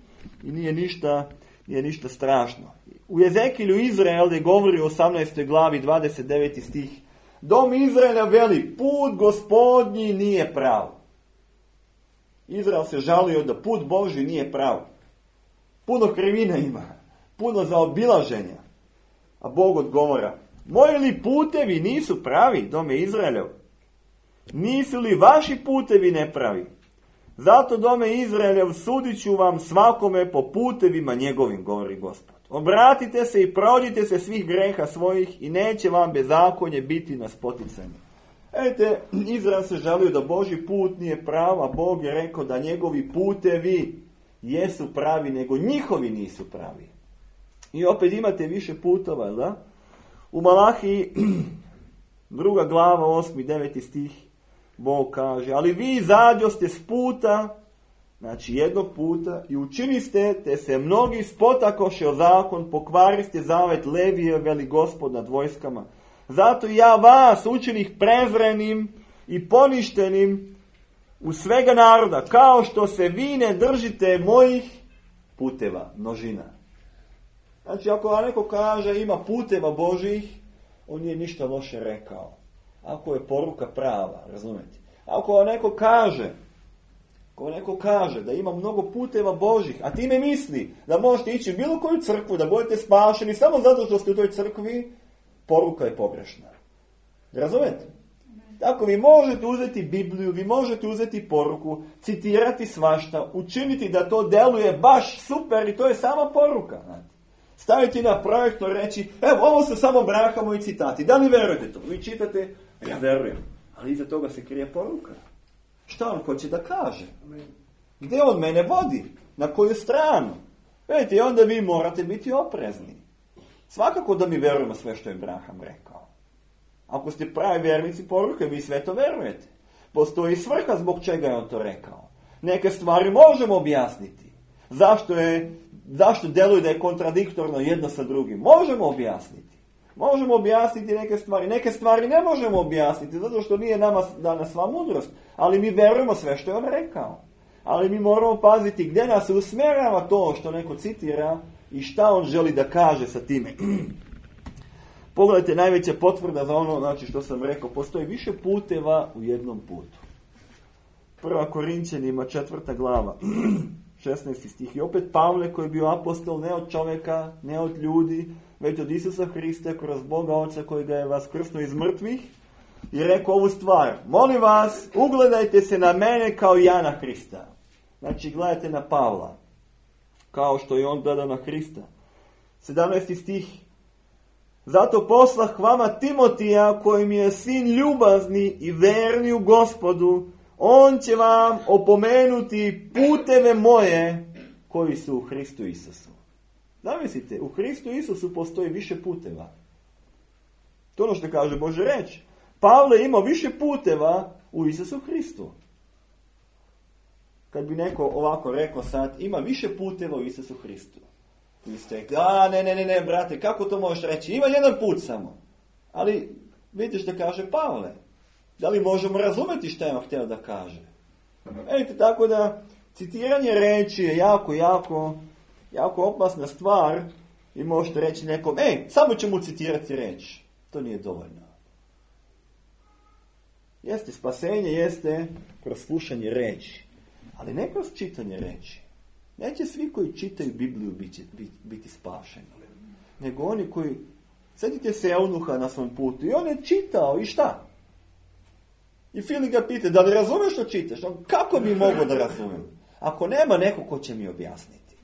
i nije ništa, nije ništa strašno. U Ezekilju Izrael je govori u osamnaestoj glavi dvadeset deveti stih. Dom Izraela veli, put Gospodnji nije prav. Izrael se žalio da put Božji nije prav. Puno krivina ima, puno zaobilaženja. A Bog odgovara, moji li putevi nisu pravi, dome Izraelov? Nisu li vaši putevi nepravi? Zato, dome Izraelov, sudit ću vam svakome po putevima njegovim, govori Gospod. Obratite se i prođite se svih greha svojih i neće vam bezakonje biti na spoticanje. Vidite, Izrael se žalio da Božji put nije prav, a Bog je rekao da njegovi putevi jesu pravi, nego njihovi nisu pravi. I opet imate više putova, da? U Malahiji, druga glava, osmi, deveti stih, Bog kaže, ali vi izađoste s puta, znači jednog puta, i učiniste, te se mnogi spotakoše o zakon, pokvariste zavet Levije, veli Gospod nad vojskama. Zato ja vas učinih prezrenim i poništenim u svega naroda, kao što se vi ne držite mojih puteva, množina. Znači, ako vam neko kaže ima puteva Božih, on nije ništa loše rekao. Ako je poruka prava, razumijete? Ako vam neko kaže, ako vam neko kaže da ima mnogo puteva Božih, a time misli da možete ići u bilo koju crkvu, da budete spašeni samo zato što ste u toj crkvi, poruka je pogrešna. Razumijete? Tako vi možete uzeti Bibliju, vi možete uzeti poruku, citirati svašta, učiniti da to deluje baš super i to je sama poruka. Znate. Staviti na projektor, reći, evo, ovo su samo braha moji citati, da li verujete to? Vi čitate, ja verujem, ali iza toga se krije poruka. Šta on hoće da kaže? Gdje on mene vodi? Na koju stranu? Vidite, i onda vi morate biti oprezni. Svakako da mi verujemo sve što je Abraham rekao. Ako ste pravi vjernici poruke, vi sve to verujete. Postoji svrha zbog čega je on to rekao. Neke stvari možemo objasniti. Zašto je, zašto deluje da je kontradiktorno jedno sa drugim? Možemo objasniti. Možemo objasniti neke stvari. Neke stvari ne možemo objasniti, zato što nije nama dana sva mudrost. Ali mi verujemo sve što je on rekao. Ali mi moramo paziti gdje nas usmjerava to što neko citira i šta on želi da kaže sa time. Pogledajte, najveća potvrda za ono, znači što sam rekao, postoji više puteva u jednom putu. Prva Korinćanima, četvrta glava, šesnaesti stih. I opet Pavle koji je bio apostol ne od čovjeka, ne od ljudi, već od Isusa Hrista kroz Boga Oca koji ga je vaskrsnuo iz mrtvih i rekao ovu stvar. Molim vas, ugledajte se na mene kao ja na Hrista. Znači, gledajte na Pavla, kao što je on gledao na Hrista. sedamnaesti stih. Zato poslah vama Timotija, koji mi je sin ljubazni i verni u Gospodu, on će vam opomenuti puteve moje koji su u Hristu Isusu. Zamislite, u Hristu Isusu postoji više puteva. To ono što kaže Bože reč. Pavle imao više puteva u Isusu Hristu. Kad bi neko ovako rekao sad, ima više puteva u Isusu Hristu. Vi ste rekli, a ne, ne, ne, ne, brate, kako to možeš reći? Ima jedan put samo. Ali vidite što kaže Pavle. Da li možemo razumjeti što je vam htio da kaže? Vidite, tako da citiranje reči je jako, jako, jako opasna stvar i možete reći nekom, ej, samo ćemo citirati reč. To nije dovoljno. Jeste spasenje, jeste kroz slušanje reči, ali ne kroz čitanje reči. Neće svi koji čitaju Bibliju biti, biti, biti spašeni, nego oni koji, sjetite se eunuha na svom putu i on je čitao i šta? I Filip ga pita, da li razumeš što čitaš? On, kako bi mogao da razumijem? Ako nema neko ko će mi objasniti.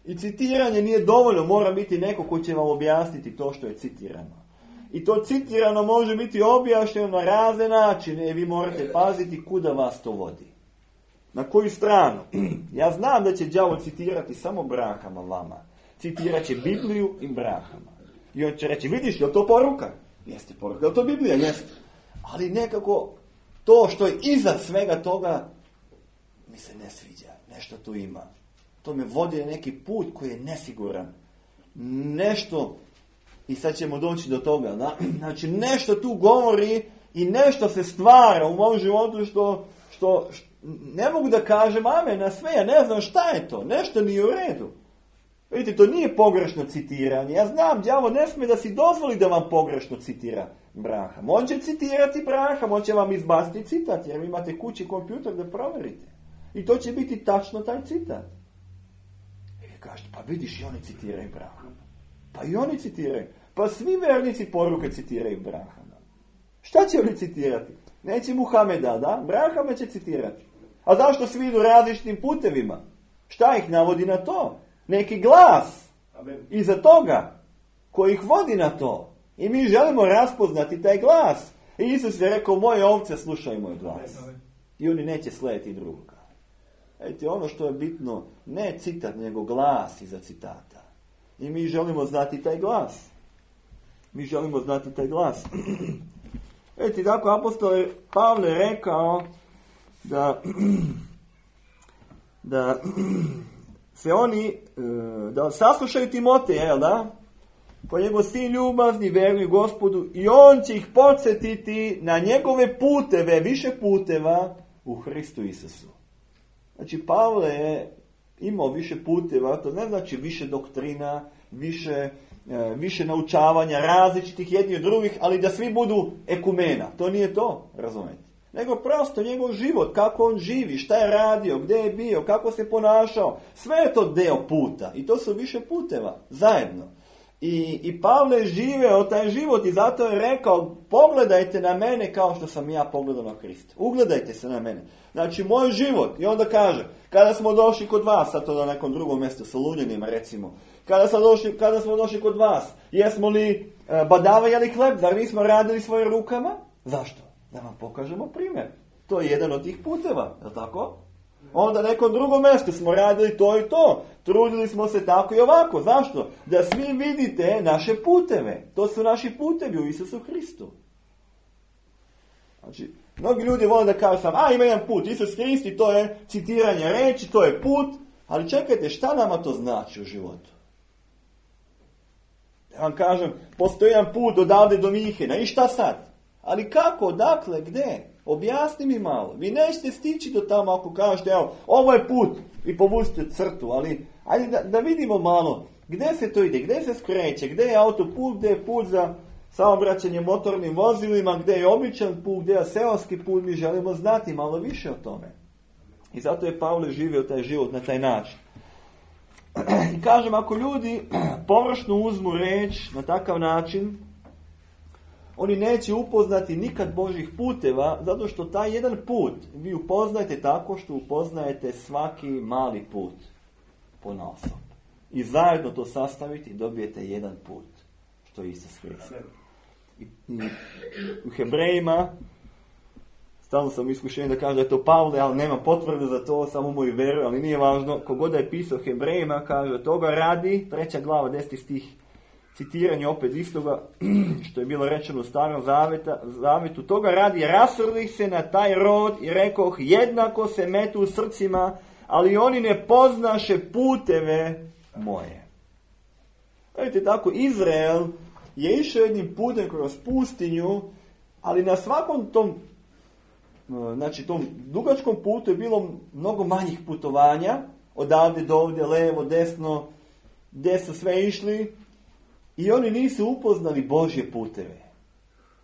I citiranje nije dovoljno, mora biti neko ko će vam objasniti to što je citirano. I to citirano može biti objašnjeno na razne načine i vi morate paziti kuda vas to vodi. Na koju stranu? Ja znam da će đavo citirati samo brahama vama. Citirat će Bibliju i brahama. I on će reći, vidiš, je li to poruka? Jeste poruka. Je li to Biblija? Jeste. Ali nekako to što je iza svega toga mi se ne sviđa. Nešto tu ima. To me vodi na neki put koji je nesiguran. Nešto, i sad ćemo doći do toga, da? Znači nešto tu govori i nešto se stvara u mom životu što, što, što ne mogu da kažem amen na sve, ja ne znam šta je to, nešto nije u redu. Vidite, to nije pogrešno citiranje. Ja znam, đavo ne smije da si dozvoli da vam pogrešno citira Braham. On će citirati Braham, on će vam izbaciti citat, jer vi imate kući kompjuter da provjerite. I to će biti tačno taj citat. I vi kažete, pa vidiš, i oni citiraju Brahama. Pa i oni citiraju. Pa svi vernici poruke citiraju Brahama. Šta će oni citirati? Neće Muhameda, da? Brahama će citirati. A zašto svi idu različitim putevima? Šta ih navodi na to? Neki glas iza toga koji ih vodi na to. I mi želimo raspoznati taj glas. I Isus je rekao, moje ovce slušaju moj glas. I oni neće slijediti drugoga. Vidite, ono što je bitno, ne citat, nego glas iza citata. I mi želimo znati taj glas. Mi želimo znati taj glas. Vidite, tako apostol Pavle rekao da da se oni, da saslušaju Timoteja, jel da? Po njegov sin ljubazni, veruju Gospodu i on će ih podsjetiti na njegove puteve, više puteva u Hristu Isusu. Znači, Pavle je imao više puteva, to ne znači više doktrina, više, više naučavanja različitih jednih od drugih, ali da svi budu ekumena. To nije to, razumijete. Nego prosto njegov život, kako on živi, šta je radio, gdje je bio, kako se ponašao. Sve je to deo puta i to su više puteva, zajedno. I, i Pavle je živeo taj život i zato je rekao, pogledajte na mene kao što sam ja pogledao na Krista. Ugledajte se na mene. Znači, moj život. I onda kaže, kada smo došli kod vas, a to na nekom drugom mjestu, sa Lunjanima recimo, kada smo došli, kada smo došli kod vas, jesmo li e, badavajali hleb, zar nismo radili svojim rukama? Zašto? Da vam pokažemo primjer. To je jedan od tih puteva, je li tako? Onda na nekom drugom mjestu smo radili to i to. Trudili smo se tako i ovako. Zašto? Da svi vidite naše puteve. To su naši putevi u Isusu Hristu. Znači, mnogi ljudi vole da kažu sam, a ima jedan put, Isus Hrist i to je citiranje reči, to je put. Ali čekajte, šta nama to znači u životu? Ja vam kažem, postoji jedan put odavde do Mihena i šta sad? Ali kako, odakle, gdje? Objasni mi malo. Vi nećete stići do tamo ako kažete, evo, ovo je put i povucite crtu, ali ajde da, da vidimo malo gdje se to ide, gdje se skreće, gdje je autoput, gdje je put za saobraćanje motornim vozilima, gdje je običan put, gdje je seoski put, mi želimo znati malo više o tome. I zato je Pavle živio taj život na taj način. I kažem, ako ljudi površno uzmu reč na takav način, oni neće upoznati nikad Božih puteva, zato što taj jedan put vi upoznajete tako što upoznajete svaki mali put ponaosob. I zajedno to sastaviti dobijete jedan put, što je Isus Hrist. I, i u Hebrejima, stalno sam iskušen da kažem da je to Pavle, ali nema potvrde za to, samo moju veru, ali nije važno. Kogod da je pisao Hebrejima, kaže, toga radi, treća glava, deseti stih, citiranje opet istoga što je bilo rečeno u Starom zaveta, zavetu, toga radi, rasrdih se na taj rod i rekoh, jednako se metu u srcima, ali oni ne poznaše puteve moje. Vidite, tako Izrael je išao jednim putem kroz pustinju Ali na svakom tom, znači tom dugačkom putu je bilo mnogo manjih putovanja, odavde do ovdje, levo, desno, gdje su sve išli i oni nisu upoznali Božje puteve.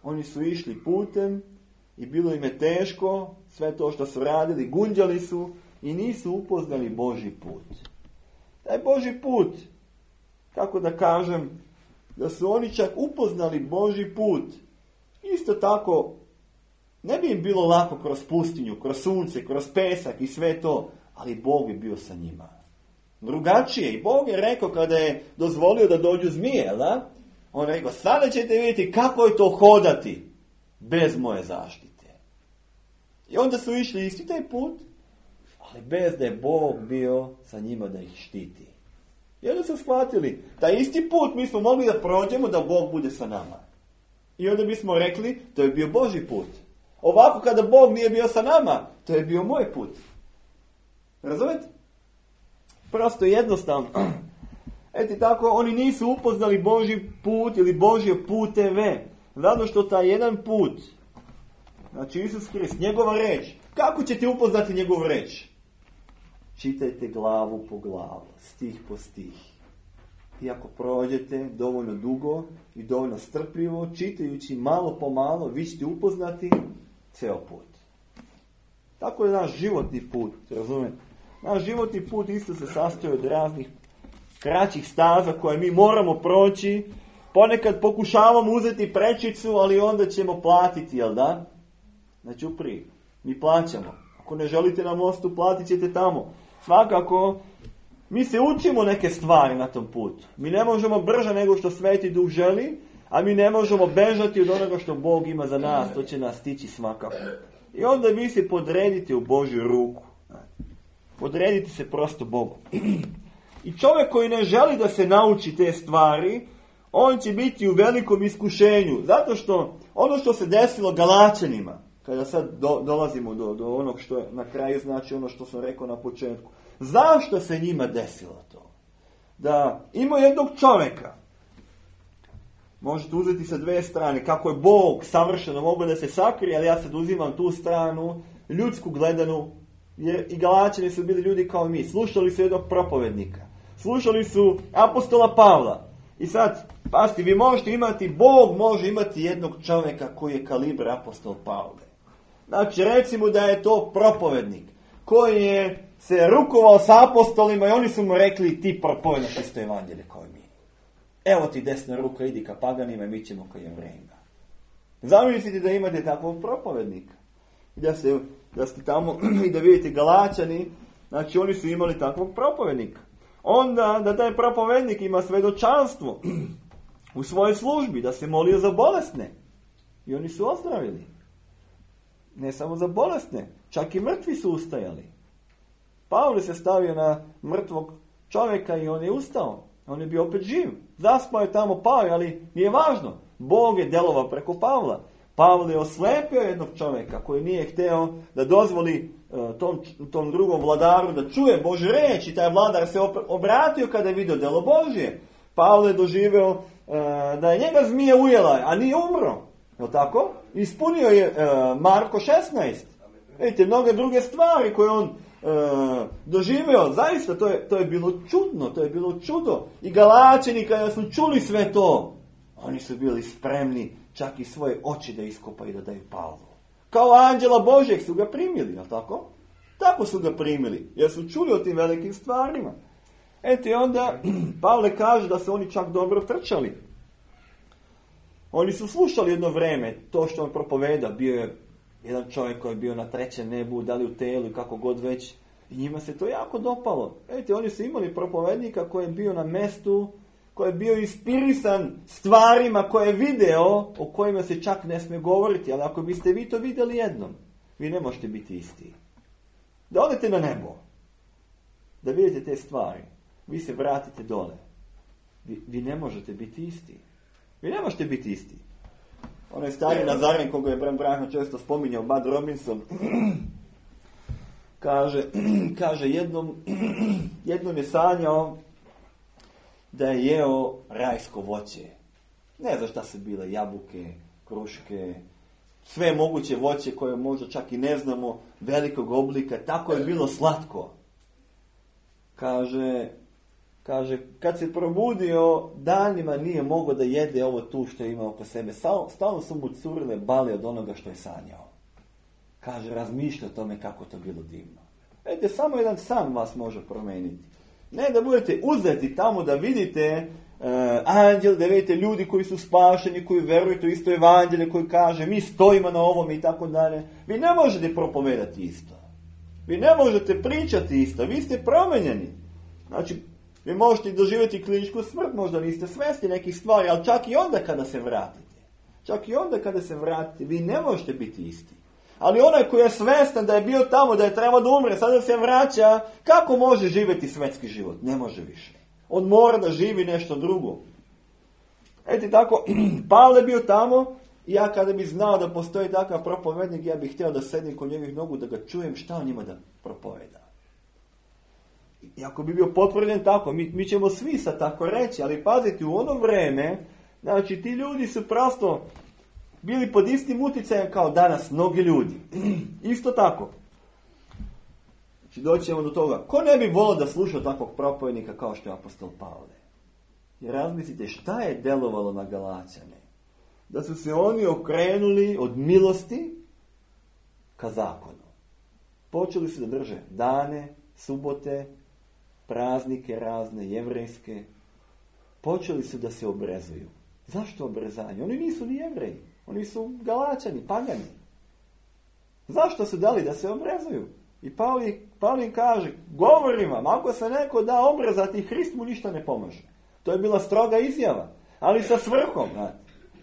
Oni su išli putem i bilo im je teško, sve to što su radili, gunđali su i nisu upoznali Božji put. Taj Božji put, kako da kažem, da su oni čak upoznali Božji put, isto tako ne bi im bilo lako kroz pustinju, kroz sunce, kroz pesak i sve to, ali Bog je bio sa njima. Drugačije. I Bog je rekao kada je dozvolio da dođu zmije, da? On je rekao, sada ćete vidjeti kako je to hodati bez moje zaštite. I onda su išli isti taj put, ali bez da je Bog bio sa njima da ih štiti. I onda su shvatili, taj isti put mi smo mogli da prođemo da Bog bude sa nama. I onda bismo rekli, to je bio Božji put. Ovako kada Bog nije bio sa nama, to je bio moj put. Razumete? Prosto jednostavno. Eto tako, oni nisu upoznali Božji put ili Božje puteve. Zato što taj jedan put, znači Isus Krist, njegova reč, kako ćete upoznati njegovu reč? Čitajte glavu po glavu, stih po stih. I ako prođete dovoljno dugo i dovoljno strpljivo, čitajući malo po malo, vi ćete upoznati ceo put. Tako je naš životni put, razumijete? Naš životni put isto se sastoji od raznih kraćih staza koje mi moramo proći. Ponekad pokušavamo uzeti prečicu, ali onda ćemo platiti, jel da? Znači uprije, mi plaćamo. Ako ne želite na mostu, platit ćete tamo. Svakako, mi se učimo neke stvari na tom putu. Mi ne možemo brže nego što Sveti Duh želi, a mi ne možemo bežati od onoga što Bog ima za nas. To će nas stići svakako. I onda vi se podredite u Božju ruku. Podredite se prosto Bogu. I čovjek koji ne želi da se nauči te stvari, on će biti u velikom iskušenju. Zato što ono što se desilo Galačanima, kada sad do, dolazimo do, do onog što je na kraju, znači ono što sam rekao na početku. Zašto se njima desilo to? Da ima jednog čovjeka, možete uzeti sa dve strane, kako je Bog savršeno mogao da se sakrije, ali ja sad uzimam tu stranu, ljudsku gledanu, jer i Galačani su bili ljudi kao mi. Slušali su jednog propovednika. Slušali su apostola Pavla. I sad, pasti, vi možete imati, Bog može imati jednog čovjeka koji je kalibar apostol Pavle. Znači, recimo da je to propovednik koji je se rukovao sa apostolima i oni su mu rekli, ti propovednaš isto evanđelje kao i mi. Evo ti desna ruka, idi ka paganima i mi ćemo ka Jevrejima. Zamislite da imate takvog propovednika. Da, se, da ste tamo i da vidite Galačani, znači oni su imali takvog propovednika. Onda da taj propovednik ima svedočanstvo u svojoj službi, da se molio za bolesne. I oni su ozdravili. Ne samo za bolesne, čak i mrtvi su ustajali. Pavle se stavio na mrtvog čovjeka i on je ustao. On je bio opet živ. Zaspao je tamo, pao, ali nije važno. Bog je delovao preko Pavla. Pavle je oslepio jednog čovjeka koji nije hteo da dozvoli uh, tom, tom drugom vladaru da čuje Božju reč i taj vladar se obratio kada je vidio delo Božje. Pavle je doživeo uh, da je njega zmija ujela, a nije umro. Je tako? Ispunio je uh, Marko šesnaest. Vidite, mnoge druge stvari koje on uh, doživeo, zaista to je, to je bilo čudno, to je bilo čudo. I Galačani kada su čuli sve to, oni su bili spremni čak i svoje oči da iskopaju i da daju Pavlu. Kao anđela Božjeg su ga primili, je tako? Tako su ga primili, jer su čuli o tim velikim stvarima. Eto i onda Pavle kaže da su oni čak dobro trčali. Oni su slušali jedno vreme to što on propoveda. Bio je jedan čovjek koji je bio na trećem nebu, da li u telu i kako god već. I njima se to jako dopalo. Eto, oni su imali propovednika koji je bio na mestu, koji je bio inspirisan stvarima koje je video, o kojima se čak ne smije govoriti. Ali ako biste vi to vidjeli jednom, vi ne možete biti isti. Da odete na nebo, da vidite te stvari, vi se vratite dole. Vi, vi ne možete biti isti. Vi ne možete biti isti. Onaj stari Nazaren, koga je Bram Branham često spominjao, Bud Robinson, kaže, kaže jednom, jednom je sanjao da je jeo rajsko voće. Ne znam šta su bile, jabuke, kruške, sve moguće voće koje možda čak i ne znamo, velikog oblika, tako je bilo slatko. Kaže, kaže kad se probudio, danima nije mogao da jede ovo tu što je imao oko sebe. Stalno su mu curile bale od onoga što je sanjao. Kaže, razmišlja o tome kako to bilo divno. Vidite, samo jedan san vas može promijeniti. Ne da budete uzeti tamo da vidite uh, anđel, da vidite ljudi koji su spašeni, koji veruju to isto evanđelje, koji kaže mi stojimo na ovom i tako dalje. Vi ne možete propovedati isto. Vi ne možete pričati isto. Vi ste promenjeni. Znači, vi možete doživjeti kliničku smrt, možda niste svjesni nekih stvari, ali čak i onda kada se vratite. Čak i onda kada se vratite, vi ne možete biti isti. Ali onaj koji je svjestan da je bio tamo, da je trebao da umre, sada se vraća, kako može živjeti svetski život? Ne može više. On mora da živi nešto drugo. Eto tako, Pavle je bio tamo i ja kada bi znao da postoji takav propovednik, ja bih htio da sedim kod njegovih nogu, da ga čujem šta on ima da propoveda. I ako bi bio potvrđen tako, mi, mi ćemo svi sad tako reći, ali pazite, u ono vreme, znači ti ljudi su prosto bili pod istim utjecajem kao danas mnogi ljudi. Isto tako. Znači doći ćemo do toga. Ko ne bi volio da sluša takvog propovednika kao što je apostol Pavle? Jer razmislite šta je delovalo na Galaćane. Da su se oni okrenuli od milosti ka zakonu. Počeli su da drže dane, subote, praznike razne, jevrejske. Počeli su da se obrezuju. Zašto obrezanje? Oni nisu ni Jevreji. Oni su Galaćani, pagani. Zašto su dali da se obrezuju? I Pavli, Pavlin kaže, govorim vam, ako se neko da obrezati, Hrist mu ništa ne pomaže. To je bila stroga izjava, ali sa svrhom. Znate.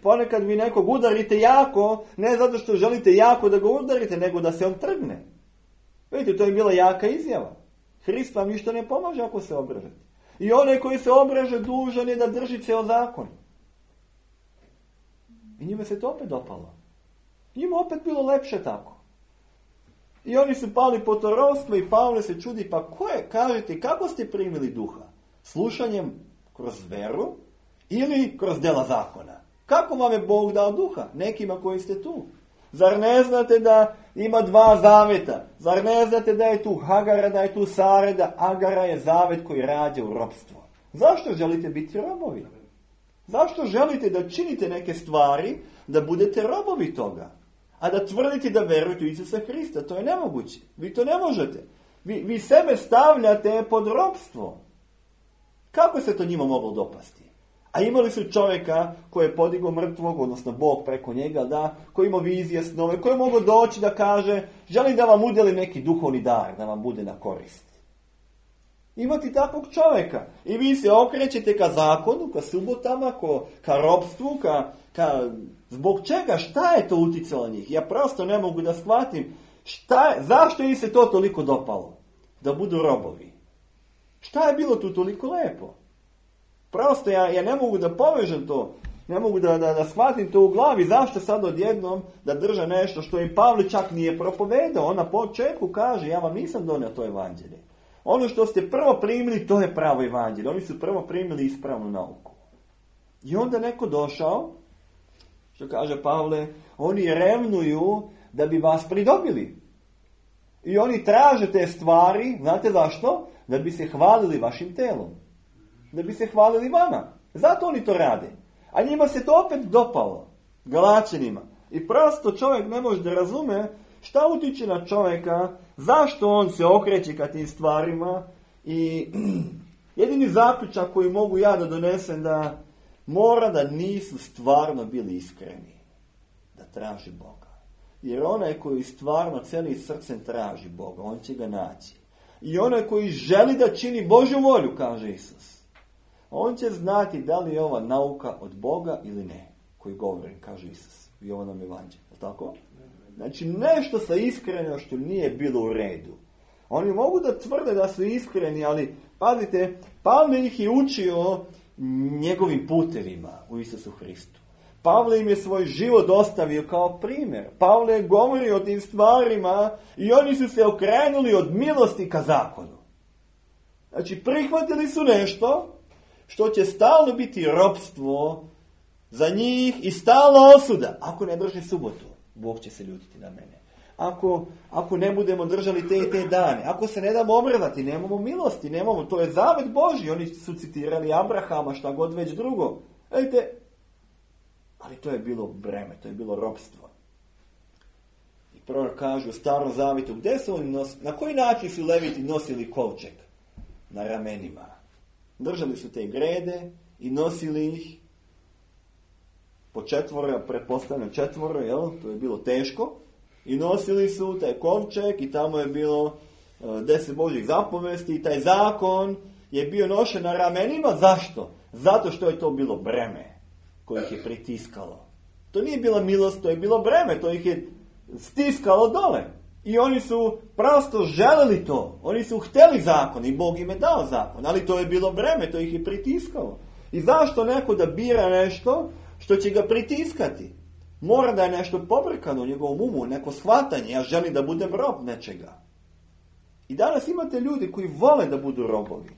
Ponekad vi nekog udarite jako, ne zato što želite jako da ga udarite, nego da se on trgne. Vidite, to je bila jaka izjava. Hrist vam ništa ne pomaže ako se obrežete. I onaj koji se obreže dužan je da drži ceo zakon. I njima se to opet dopalo. Njima opet bilo lepše tako. I oni su pali po to ropstvo i Pavle se čudi, pa ko je, kažete, kako ste primili duha? Slušanjem kroz veru ili kroz dela zakona? Kako vam je Bog dao duha? Nekima koji ste tu. Zar ne znate da ima dva zaveta? Zar ne znate da je tu Hagara, da je tu Sare, da Agara je zavet koji rađa u ropstvo? Zašto želite biti robovi? Zašto želite da činite neke stvari, da budete robovi toga? A da tvrdite da verujete u Isusa Hrista, to je nemoguće. Vi to ne možete. Vi, vi sebe stavljate pod ropstvo. Kako se to njima moglo dopasti? A imali su čovjeka koji je podigao mrtvog, odnosno Bog preko njega, da, koji ima vizije, snove, koji je mogao doći da kaže, želim da vam udjelim neki duhovni dar, da vam bude na korist. Imati takvog čovjeka. I vi se okrećete ka zakonu, ka subotama, ko, ka ropstvu, ka, ka... Zbog čega? Šta je to uticalo njih? Ja prosto ne mogu da shvatim. Šta je, zašto im se to toliko dopalo? Da budu robovi. Šta je bilo tu toliko lepo? Prosto ja, ja ne mogu da povežem to. Ne mogu da, da, da shvatim to u glavi. Zašto sad odjednom da drže nešto što im Pavle čak nije propovedao? On na početku kaže, ja vam nisam donio to evanđelje. Ono što ste prvo primili, to je pravo evanđelje. Oni su prvo primili ispravnu nauku. I onda neko došao, što kaže Pavle, oni revnuju da bi vas pridobili. I oni traže te stvari, znate zašto? Da bi se hvalili vašim telom. Da bi se hvalili vama. Zato oni to rade. A njima se to opet dopalo. Galaćanima. I prosto čovjek ne može da razume šta utiče na čovjeka, zašto on se okreće ka tim stvarima. I jedini zaključak koji mogu ja da donesem da mora da nisu stvarno bili iskreni. Da traži Boga. Jer onaj koji stvarno celim srcem traži Boga, on će ga naći. I onaj koji želi da čini Božju volju, kaže Isus, on će znati da li je ova nauka od Boga ili ne. Koji govori, kaže Isus u Jovanom evanđelju. Tako? Znači nešto sa iskrenošću nije bilo u redu. Oni mogu da tvrde da su iskreni, ali pazite, Pavle ih je učio njegovim putevima u Isusu Hristu. Pavle im je svoj život ostavio kao primjer. Pavle je govorio o tim stvarima i oni su se okrenuli od milosti ka zakonu. Znači prihvatili su nešto što će stalno biti ropstvo za njih i stalna osuda ako ne drži subotu. Bog će se ljutiti na mene. Ako, ako ne budemo držali te i te dane, ako se ne damo obredati, nemamo milosti, nemamo, to je zavet Božji. Oni su citirali Abrahama, šta god već drugo. Ejte, ali to je bilo breme, to je bilo ropstvo. I prorok kaže u Starom Zavjetu, gdje su oni nosili, na koji način su Leviti nosili kovčeg? Na ramenima. Držali su te grede i nosili ih po četvoro, pretpostavljam četvoro, jel? To je bilo teško. I nosili su taj kovčeg i tamo je bilo uh, deset Božjih zapovesti i taj zakon je bio nošen na ramenima. Zašto? Zato što je to bilo breme koje ih je pritiskalo. To nije bila milost, to je bilo breme, to ih je stiskalo dole. I oni su prosto želeli to. Oni su htjeli zakon i Bog im je dao zakon, ali to je bilo breme, to ih je pritiskalo. I zašto neko da bira nešto što će ga pritiskati? Mora da je nešto pobrkano u njegovom umu, neko shvatanje, ja želim da budem rob nečega. I danas imate ljudi koji vole da budu robovi.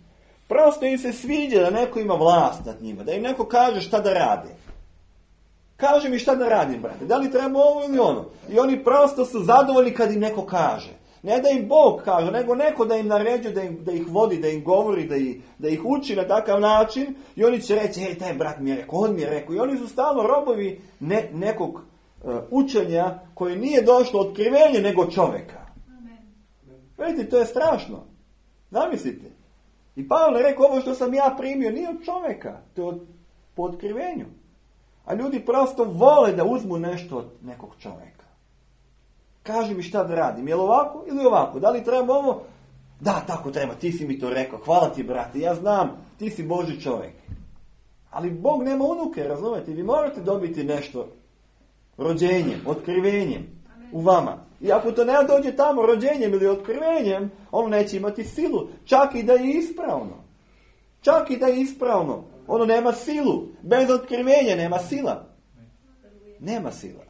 Prosto im se sviđa da neko ima vlast nad njima, da im neko kaže šta da rade. Kaže mi šta da radim, brate, da li treba ovo ili ono. I oni prosto su zadovoljni kad im neko kaže. Ne da im Bog kaže, nego neko da im naređuje, da, im, da ih vodi, da im govori, da ih, da ih uči na takav način. I oni će reći, hej, taj brat mi je rekao, on mi je rekao. I oni su stalno robovi ne, nekog uh, učenja koje nije došlo otkrivenje nego čovjeka. Vidite, to je strašno. Zamislite. I Pavle je rekao, ovo što sam ja primio nije od čovjeka, to je od, po otkrivenju. A ljudi prosto vole da uzmu nešto od nekog čovjeka. Kaži mi šta da radim, je li ovako ili ovako? Da li treba ovo? Da, tako treba, ti si mi to rekao, hvala ti brate, ja znam, ti si Božji čovjek. Ali Bog nema unuke, razumijete? Vi morate dobiti nešto rođenjem, otkrivenjem u vama. I ako to ne dođe tamo rođenjem ili otkrivenjem, ono neće imati silu. Čak i da je ispravno. Čak i da je ispravno. Ono nema silu. Bez otkrivenja nema sila. Nema sila.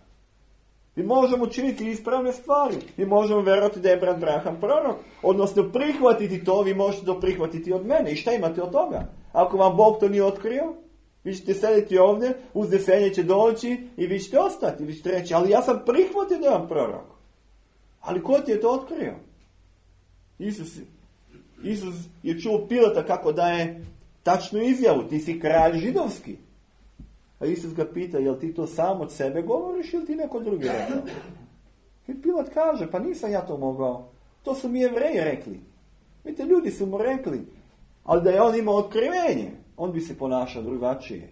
Mi možemo učiniti ispravne stvari. Mi možemo vjerovati da je brat Branham prorok. Odnosno prihvatiti to, vi možete to prihvatiti od mene. I šta imate od toga? Ako vam Bog to nije otkrio, vi ćete sediti ovdje, uznesenje će doći i vi ćete ostati. Vi ćete reći, ali ja sam prihvatio da je on prorok. Ali ko ti je to otkrio? Isus, Isus je čuo Pilata kako daje tačnu izjavu, ti si kralj židovski. A Isus ga pita, jel ti to sam od sebe govoriš ili ti neko drugi rekao? I Pilat kaže, pa nisam ja to mogao. To su mi Jevreji rekli. Vidite, ljudi su mu rekli, ali da je on imao otkrivenje, on bi se ponašao drugačije.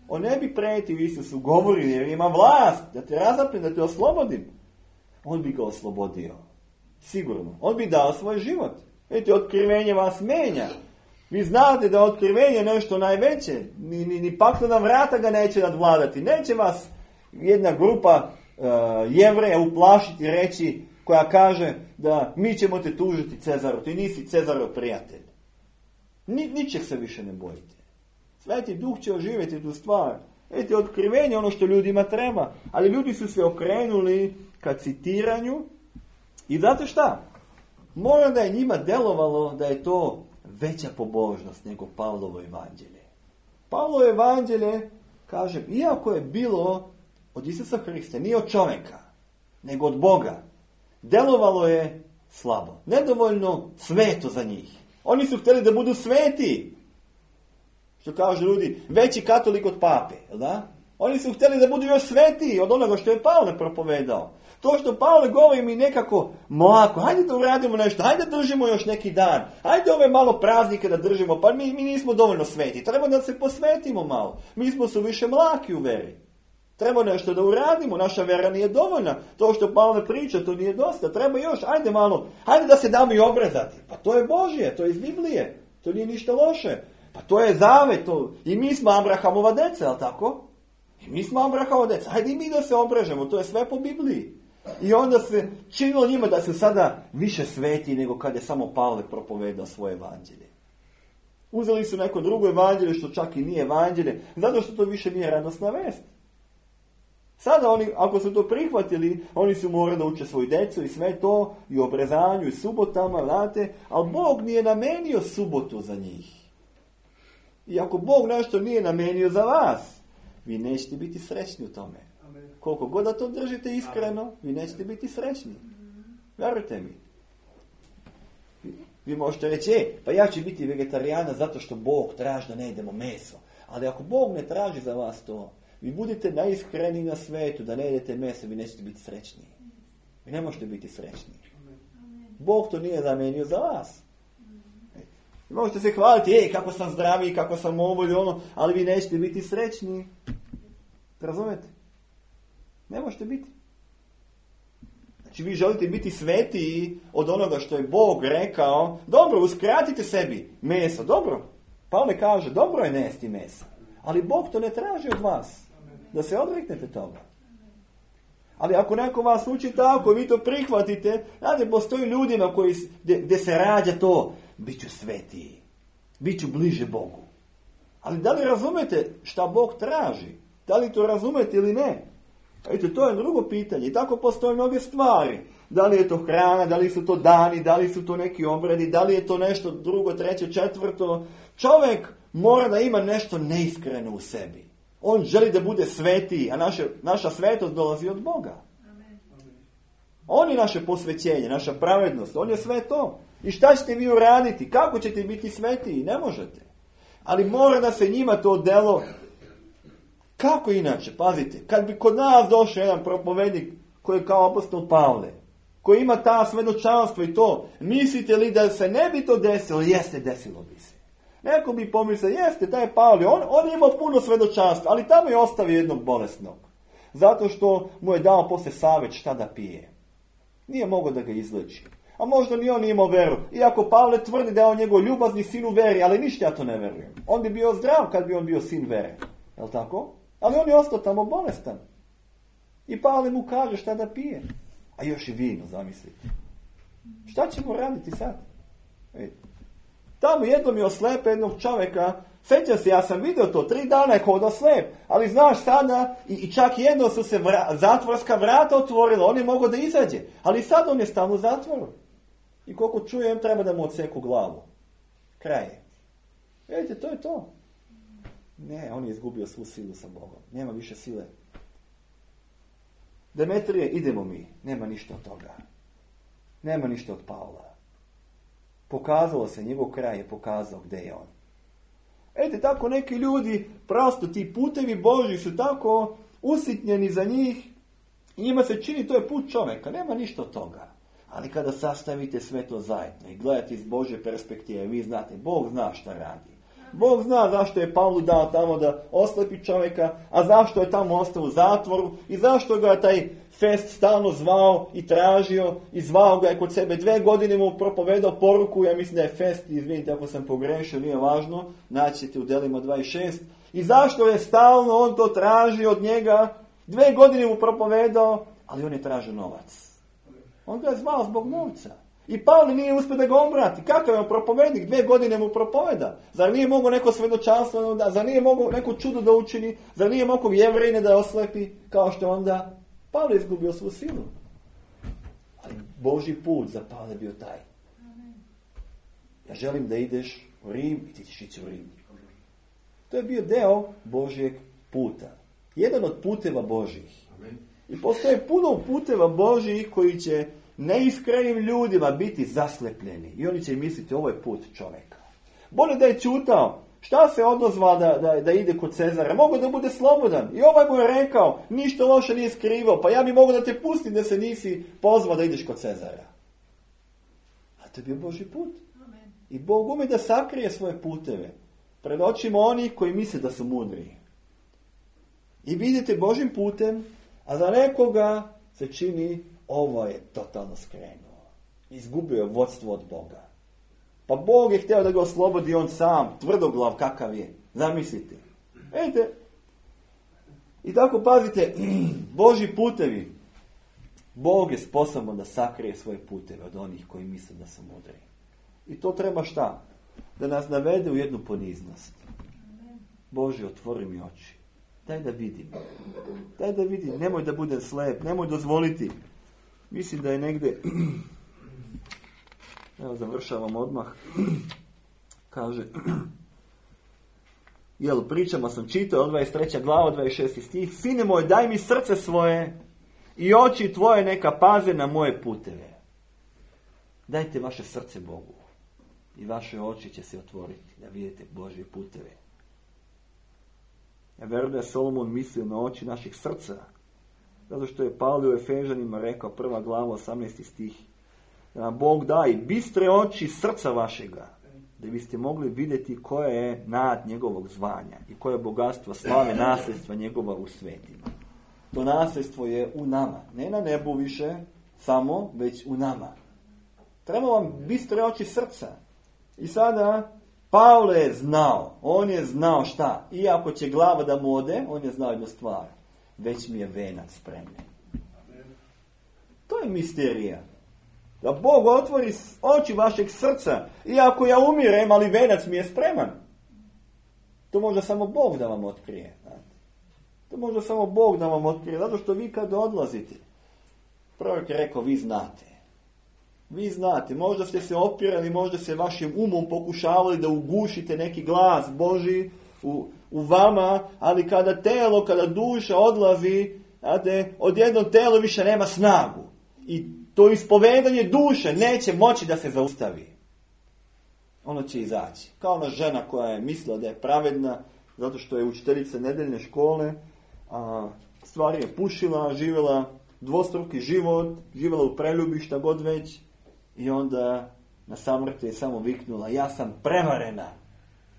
On ne bi pretio Isusu, govori jer ima vlast, da te razapne, da te oslobodim. On bi ga oslobodio. Sigurno. On bi dao svoj život. Vidite, otkrivenje vas menja. Vi znate da otkrivenje je nešto najveće. Ni, ni, ni paklena vrata ga neće nadvladati. Neće vas jedna grupa uh, Jevreja uplašiti i reći, koja kaže da mi ćemo te tužiti Cezaru. Ti nisi Cezarov prijatelj. Ni, ničeg se više ne bojite. Sveti Duh će oživjeti tu stvar. Vidite, otkrivenje je ono što ljudima treba. Ali ljudi su se okrenuli ka citiranju. I znate šta? Mora da je njima delovalo da je to veća pobožnost nego Pavlovo evanđelje. Pavlovo evanđelje, kažem, iako je bilo od Isusa Hrista, nije od čovjeka, nego od Boga, delovalo je slabo. Nedovoljno sveto za njih. Oni su htjeli da budu sveti. Što kažu ljudi, veći katolik od pape, da? Oni su htjeli da budu još svetiji od onoga što je Pavle propovedao. To što Pavle govori mi nekako mlako, hajde da uradimo nešto, hajde da držimo još neki dan, hajde ove malo praznike da držimo, pa mi, mi nismo dovoljno sveti, treba da se posvetimo malo, mi smo su više mlaki u veri. Treba nešto da uradimo, naša vera nije dovoljna, to što Pavle priča, to nije dosta, treba još, hajde malo, hajde da se damo i obrezati, pa to je Božje, to je iz Biblije, to nije ništa loše, pa to je zavet, to, i mi smo Abrahamova deca, jel tako? I mi smo Abrahamova deca, hajde i mi da se obrežemo, to je sve po Bibliji. I onda se činilo njima da su sada više sveti nego kad je samo Pavle propovedao svoje evanđelje. Uzeli su neko drugo evanđelje što čak i nije evanđelje, zato što to više nije radosna vest. Sada oni, ako su to prihvatili, oni su morali da uče svoju decu i sve to, i obrezanju, i subotama, znate, ali Bog nije namenio subotu za njih. I ako Bog nešto nije namenio za vas, vi nećete biti srećni u tome. Koliko god da to držite iskreno, vi nećete biti srećni. Vjerujte mi. Vi možete reći, e, pa ja ću biti vegetarijana zato što Bog traži da ne jedemo meso. Ali ako Bog ne traži za vas to, vi budete najiskreniji na svetu da ne jedete meso, vi nećete biti srećni. Vi ne možete biti srećni. Bog to nije zamenio za vas. Vi možete se hvaliti, ej, kako sam zdravi, kako sam ovo ili ono, ali vi nećete biti srećni. Razumete? Ne možete biti. Znači vi želite biti svetiji od onoga što je Bog rekao. Dobro, uskratite sebi meso, dobro. Pavle kaže, dobro je nesti mesa. Ali Bog to ne traži od vas. Da se odreknete toga. Ali ako neko vas uči tako, vi to prihvatite, znate, postoji ljudima koji, gdje, gdje se rađa to, bit ću svetiji, bit ću bliže Bogu. Ali da li razumete šta Bog traži? Da li to razumete ili ne? Vidite, to je drugo pitanje. I tako postoje mnoge stvari. Da li je to hrana, da li su to dani, da li su to neki obredi, da li je to nešto drugo, treće, četvrto. Čovjek mora da ima nešto neiskreno u sebi. On želi da bude svetiji, a naše, naša svetost dolazi od Boga. Amen. On je naše posvećenje, naša pravednost, on je sve to. I šta ćete vi uraditi? Kako ćete biti svetiji? Ne možete. Ali mora da se njima to delo. Kako inače? Pazite, kad bi kod nas došao jedan propovednik koji je kao apostol Pavle, koji ima ta svedočanstvo i to, mislite li da se ne bi to desilo? Jeste, desilo bi se. Neko bi pomislio, jeste, taj Pavle, on, on je imao puno svedočanstva, ali tamo je ostavio jednog bolesnog. Zato što mu je dao posle savjet šta da pije. Nije mogao da ga izleči. A možda ni on nije imao veru. Iako Pavle tvrdi da je on njegov ljubazni sin u veri, ali ništa ja to ne verujem. On bi bio zdrav kad bi on bio sin vere. Jel' tako? Ali on je ostao tamo bolestan. I Pavle mu kaže šta da pije. A još i vino, zamislite. Šta ćemo raditi sad? Ej. Tamo jednom je oslepe jednog čovjeka. Sjeća se, ja sam vidio to, tri dana je hodao slep. Ali znaš sada, i, i čak jedno su se vra, zatvorska vrata otvorila, on je mogao da izađe. Ali sad on je stalno u zatvoru. I koliko čujem, treba da mu odseku glavu. Kraj je. Vidite, to je to. Ne, on je izgubio svu silu sa Bogom. Nema više sile. Demetrije, idemo mi. Nema ništa od toga. Nema ništa od Pavla. Pokazalo se, njegov kraj je pokazao gdje je on. Ete, tako neki ljudi, prosto ti putevi Božji su tako usitnjeni za njih. I njima se čini, to je put čovjeka. Nema ništa od toga. Ali kada sastavite sve to zajedno i gledate iz Božje perspektive, vi znate, Bog zna šta radi. Bog zna zašto je Pavlu dao tamo da oslepi čovjeka, a zašto je tamo ostao u zatvoru i zašto ga je taj Fest stalno zvao i tražio i zvao ga je kod sebe. Dve godine mu propovedao poruku, ja mislim da je Fest, izvinite ako sam pogrešio, nije važno, naći ćete u delima dvadeset šest. I zašto je stalno on to tražio od njega, dve godine mu propovedao, ali on je tražio novac. On ga je zvao zbog novca. I Pavle nije uspio da ga obrati. Kakav je on propovednik? Dve godine mu propoveda. Zar nije mogao neko svedočanstvo da, zar nije mogao neko čudo da učini, zar nije mogao Jevrejine da oslepi, kao što onda Pavle izgubio svu silu. Ali Božji put za Pavle bio taj. Ja želim da ideš u Rim i ti ćeš ići u Rim. To je bio deo Božjeg puta. Jedan od puteva Božjih. I postoje puno puteva Božjih koji će neiskrenim ljudima biti zaslepljeni. I oni će misliti, ovo je put čovjeka. Bolje da je čutao. Šta se odozva da, da, da ide kod Cezara? Mogu da bude slobodan. I ovaj mu je rekao, ništa loše nije skrivao. Pa ja bi mogu da te pustim da se nisi pozvao da ideš kod Cezara. A to je bio Božji put. Amen. I Bog ume da sakrije svoje puteve pred očima onih koji misle da su mudri. I vidite Božjim putem, a za nekoga se čini, ovo je totalno skrenuo. Izgubio je vodstvo od Boga. Pa Bog je htio da ga oslobodi on sam, tvrdoglav kakav je. Zamislite. Vidite. I tako pazite, Božji putevi. Bog je sposoban da sakrije svoje puteve od onih koji misle da su mudri. I to treba šta? Da nas navede u jednu poniznost. Bože, otvori mi oči. Daj da vidim. Daj da vidim. Nemoj da budem slep. Nemoj dozvoliti. Mislim da je negdje, evo završavam odmah, kaže, Jel, pričama sam čitao, od dvadeset treća glava, dvadeset šesti stih. Sine moj, daj mi srce svoje i oči tvoje neka paze na moje puteve. Dajte vaše srce Bogu i vaše oči će se otvoriti da vidite Božje puteve. Ja vjerujem da je Solomon mislio na oči naših srca, zato što je Pavle u Efežanima rekao, prva glava, osamnaesti stih, da nam Bog daje bistre oči srca vašega, da biste mogli vidjeti koje je nad njegovog zvanja i koje je bogatstvo slave nasljedstva njegova u svetima. To nasljedstvo je u nama, ne na nebu više samo, već u nama. Treba vam bistre oči srca. I sada Pavle je znao, on je znao šta, iako će glava da mu ode, on je znao jednu stvar, već mi je venac spremljen. To je misterija. Da Bog otvori oči vašeg srca, iako ja umirem, ali venac mi je spreman. To može samo Bog da vam otkrije. To može samo Bog da vam otkrije, zato što vi kada odlazite, prorok je rekao, vi znate. Vi znate, možda ste se opirali, možda se vašim umom pokušavali da ugušite neki glas Božji u, u vama, ali kada telo, kada duša odlazi, znate, odjednom telo više nema snagu. I to ispovedanje duše neće moći da se zaustavi. Ono će izaći. Kao ona žena koja je mislila da je pravedna, zato što je učiteljica nedeljne škole, a stvari je pušila, živjela dvostruki život, živjela u preljubi, šta god već, i onda na samrti je samo viknula, ja sam prevarena,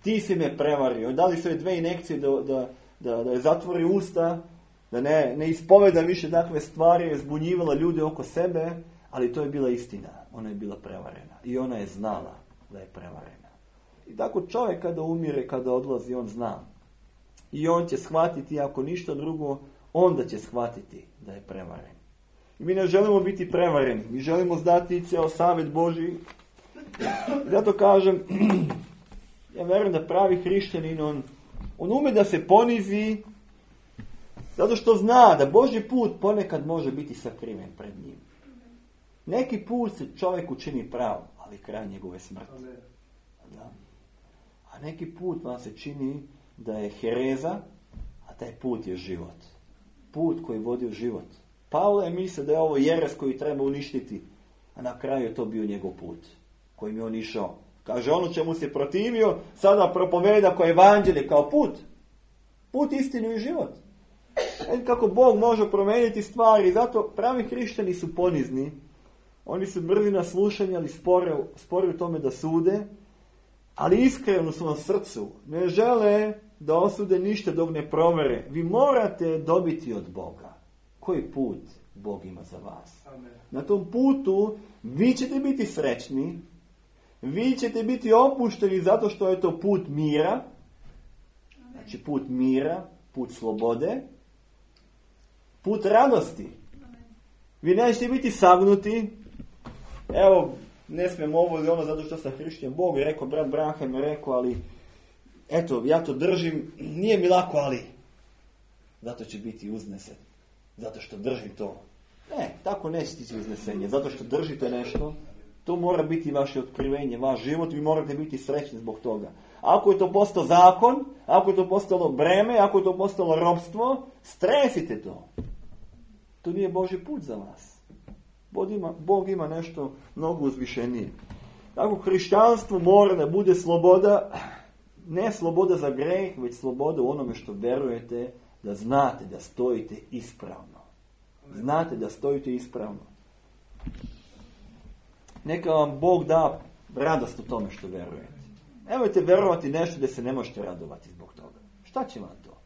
ti si me prevario. Dali su joj dve injekcije da, da, da, da je zatvori usta, da ne, ne ispoveda više takve stvari, je zbunjivala ljude oko sebe, ali to je bila istina, ona je bila prevarena i ona je znala da je prevarena. I tako čovjek kada umire, kada odlazi, on zna. I on će shvatiti, ako ništa drugo, onda će shvatiti da je prevaren. I mi ne želimo biti prevareni, mi želimo znati ceo savjet Božji. I zato kažem, ja vjerujem da pravi hrišćanin, on, on ume da se ponizi, zato što zna da Božji put ponekad može biti sakriven pred njim. Neki put se čovjek učini prav, ali kraj njegove smrti. Da. A neki put vam se čini da je hereza, a taj put je život. Put koji vodi u život. Pavle je mislio da je ovo jeres koji treba uništiti, a na kraju je to bio njegov put kojim je on išao. Kaže, ono čemu se protivio, sada propoveda kao evanđelje, kao put. Put, istinu i život. E, kako Bog može promijeniti stvari, zato pravi hrišćani su ponizni. Oni su brzi na slušanje, ali spore, spore u tome da sude, ali iskreno u svom srcu ne žele da osude ništa dok ne provere. Vi morate dobiti od Boga koji put Bog ima za vas. Amen. Na tom putu vi ćete biti srećni, vi ćete biti opušteni zato što je to put mira, znači put mira, put slobode, put radosti. Vi nećete biti sagnuti. Evo, ne smijem ovo ili ono zato što sam hrišćan. Bog je rekao, brat Branham je rekao, ali eto, ja to držim, nije mi lako, ali zato će biti uznesen. Zato što držim to. Ne, tako neće tići uznesenje. Zato što držite nešto, to mora biti vaše otkrivenje, vaš život, vi morate biti srećni zbog toga. Ako je to postao zakon, ako je to postalo breme, ako je to postalo ropstvo, stresite to. To nije Božji put za vas. Bog ima, Bog ima nešto mnogo uzvišenije. Tako hrišćanstvo mora da bude sloboda, ne sloboda za greh, već sloboda u onome što verujete, da znate da stojite ispravno. Znate da stojite ispravno. Neka vam Bog da radost u tome što verujete. Nemojte verovati nešto da se ne možete radovati zbog toga. Šta će vam to?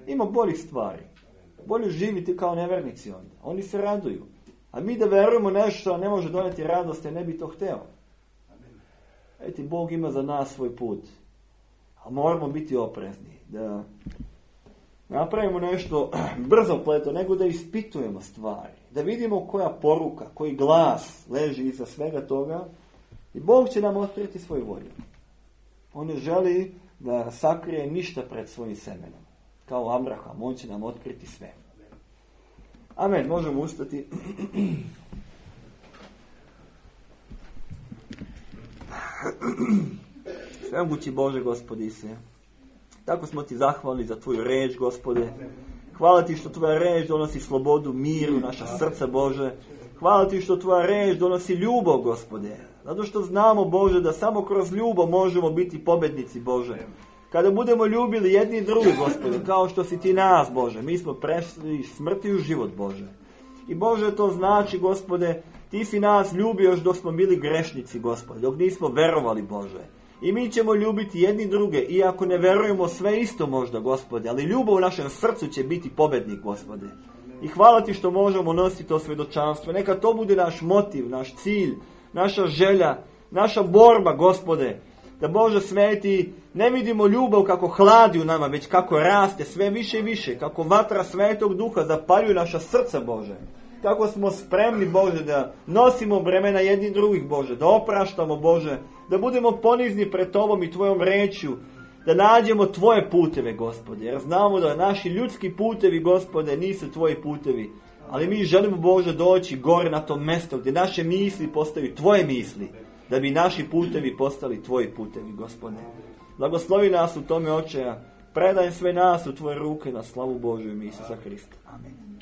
Ima boljih stvari. Bolje živite kao nevernici onda. Oni se raduju. A mi da verujemo nešto ne može doneti radost, jer ne bi to hteo. Eti, Bog ima za nas svoj put. A moramo biti oprezni. Da napravimo nešto brzo pleto, nego da ispitujemo stvari. Da vidimo koja poruka, koji glas leži iza svega toga. I Bog će nam otkriti svoju volju. On ne želi da sakrije ništa pred svojim semenom. Kao Abraham, on će nam otkriti sve. Amen, možemo ustati. Svemogući Bože Gospodi se, Tako smo ti zahvalni za tvoju reč, Gospode. Hvala ti što tvoja reč donosi slobodu, mir u naša srca, Bože. Hvala ti što tvoja reč donosi ljubav, Gospode. Zato što znamo, Bože, da samo kroz ljubav možemo biti pobednici, Bože. Kada budemo ljubili jedni drugi, Gospode, kao što si ti nas, Bože, mi smo prešli iz smrti u život, Bože. I Bože, to znači, Gospode, ti si nas ljubio još dok smo bili grešnici, Gospode, dok nismo verovali, Bože. I mi ćemo ljubiti jedni druge, iako ne verujemo sve isto možda, Gospode, ali ljubav u našem srcu će biti pobednik, Gospode. I hvala ti što možemo nositi to svjedočanstvo. Neka to bude naš motiv, naš cilj, naša želja, naša borba, Gospode. Da, Bože sveti, ne vidimo ljubav kako hladi u nama, već kako raste sve više i više, kako vatra Svetog Duha zapaljuje naša srca, Bože. Kako smo spremni, Bože, da nosimo bremena jedni drugih, Bože, da opraštamo, Bože, da budemo ponizni pred Tobom i Tvojom rečju, da nađemo Tvoje puteve, Gospode, jer znamo da naši ljudski putevi, Gospode, nisu Tvoji putevi, ali mi želimo, Bože, doći gore na to mjesto gdje naše misli postaju Tvoje misli, da bi naši putevi postali Tvoji putevi, Gospode. Blagoslovi nas u tome, Oče, predaj sve nas u Tvoje ruke na slavu Božju i Isusa Hrista. Amen.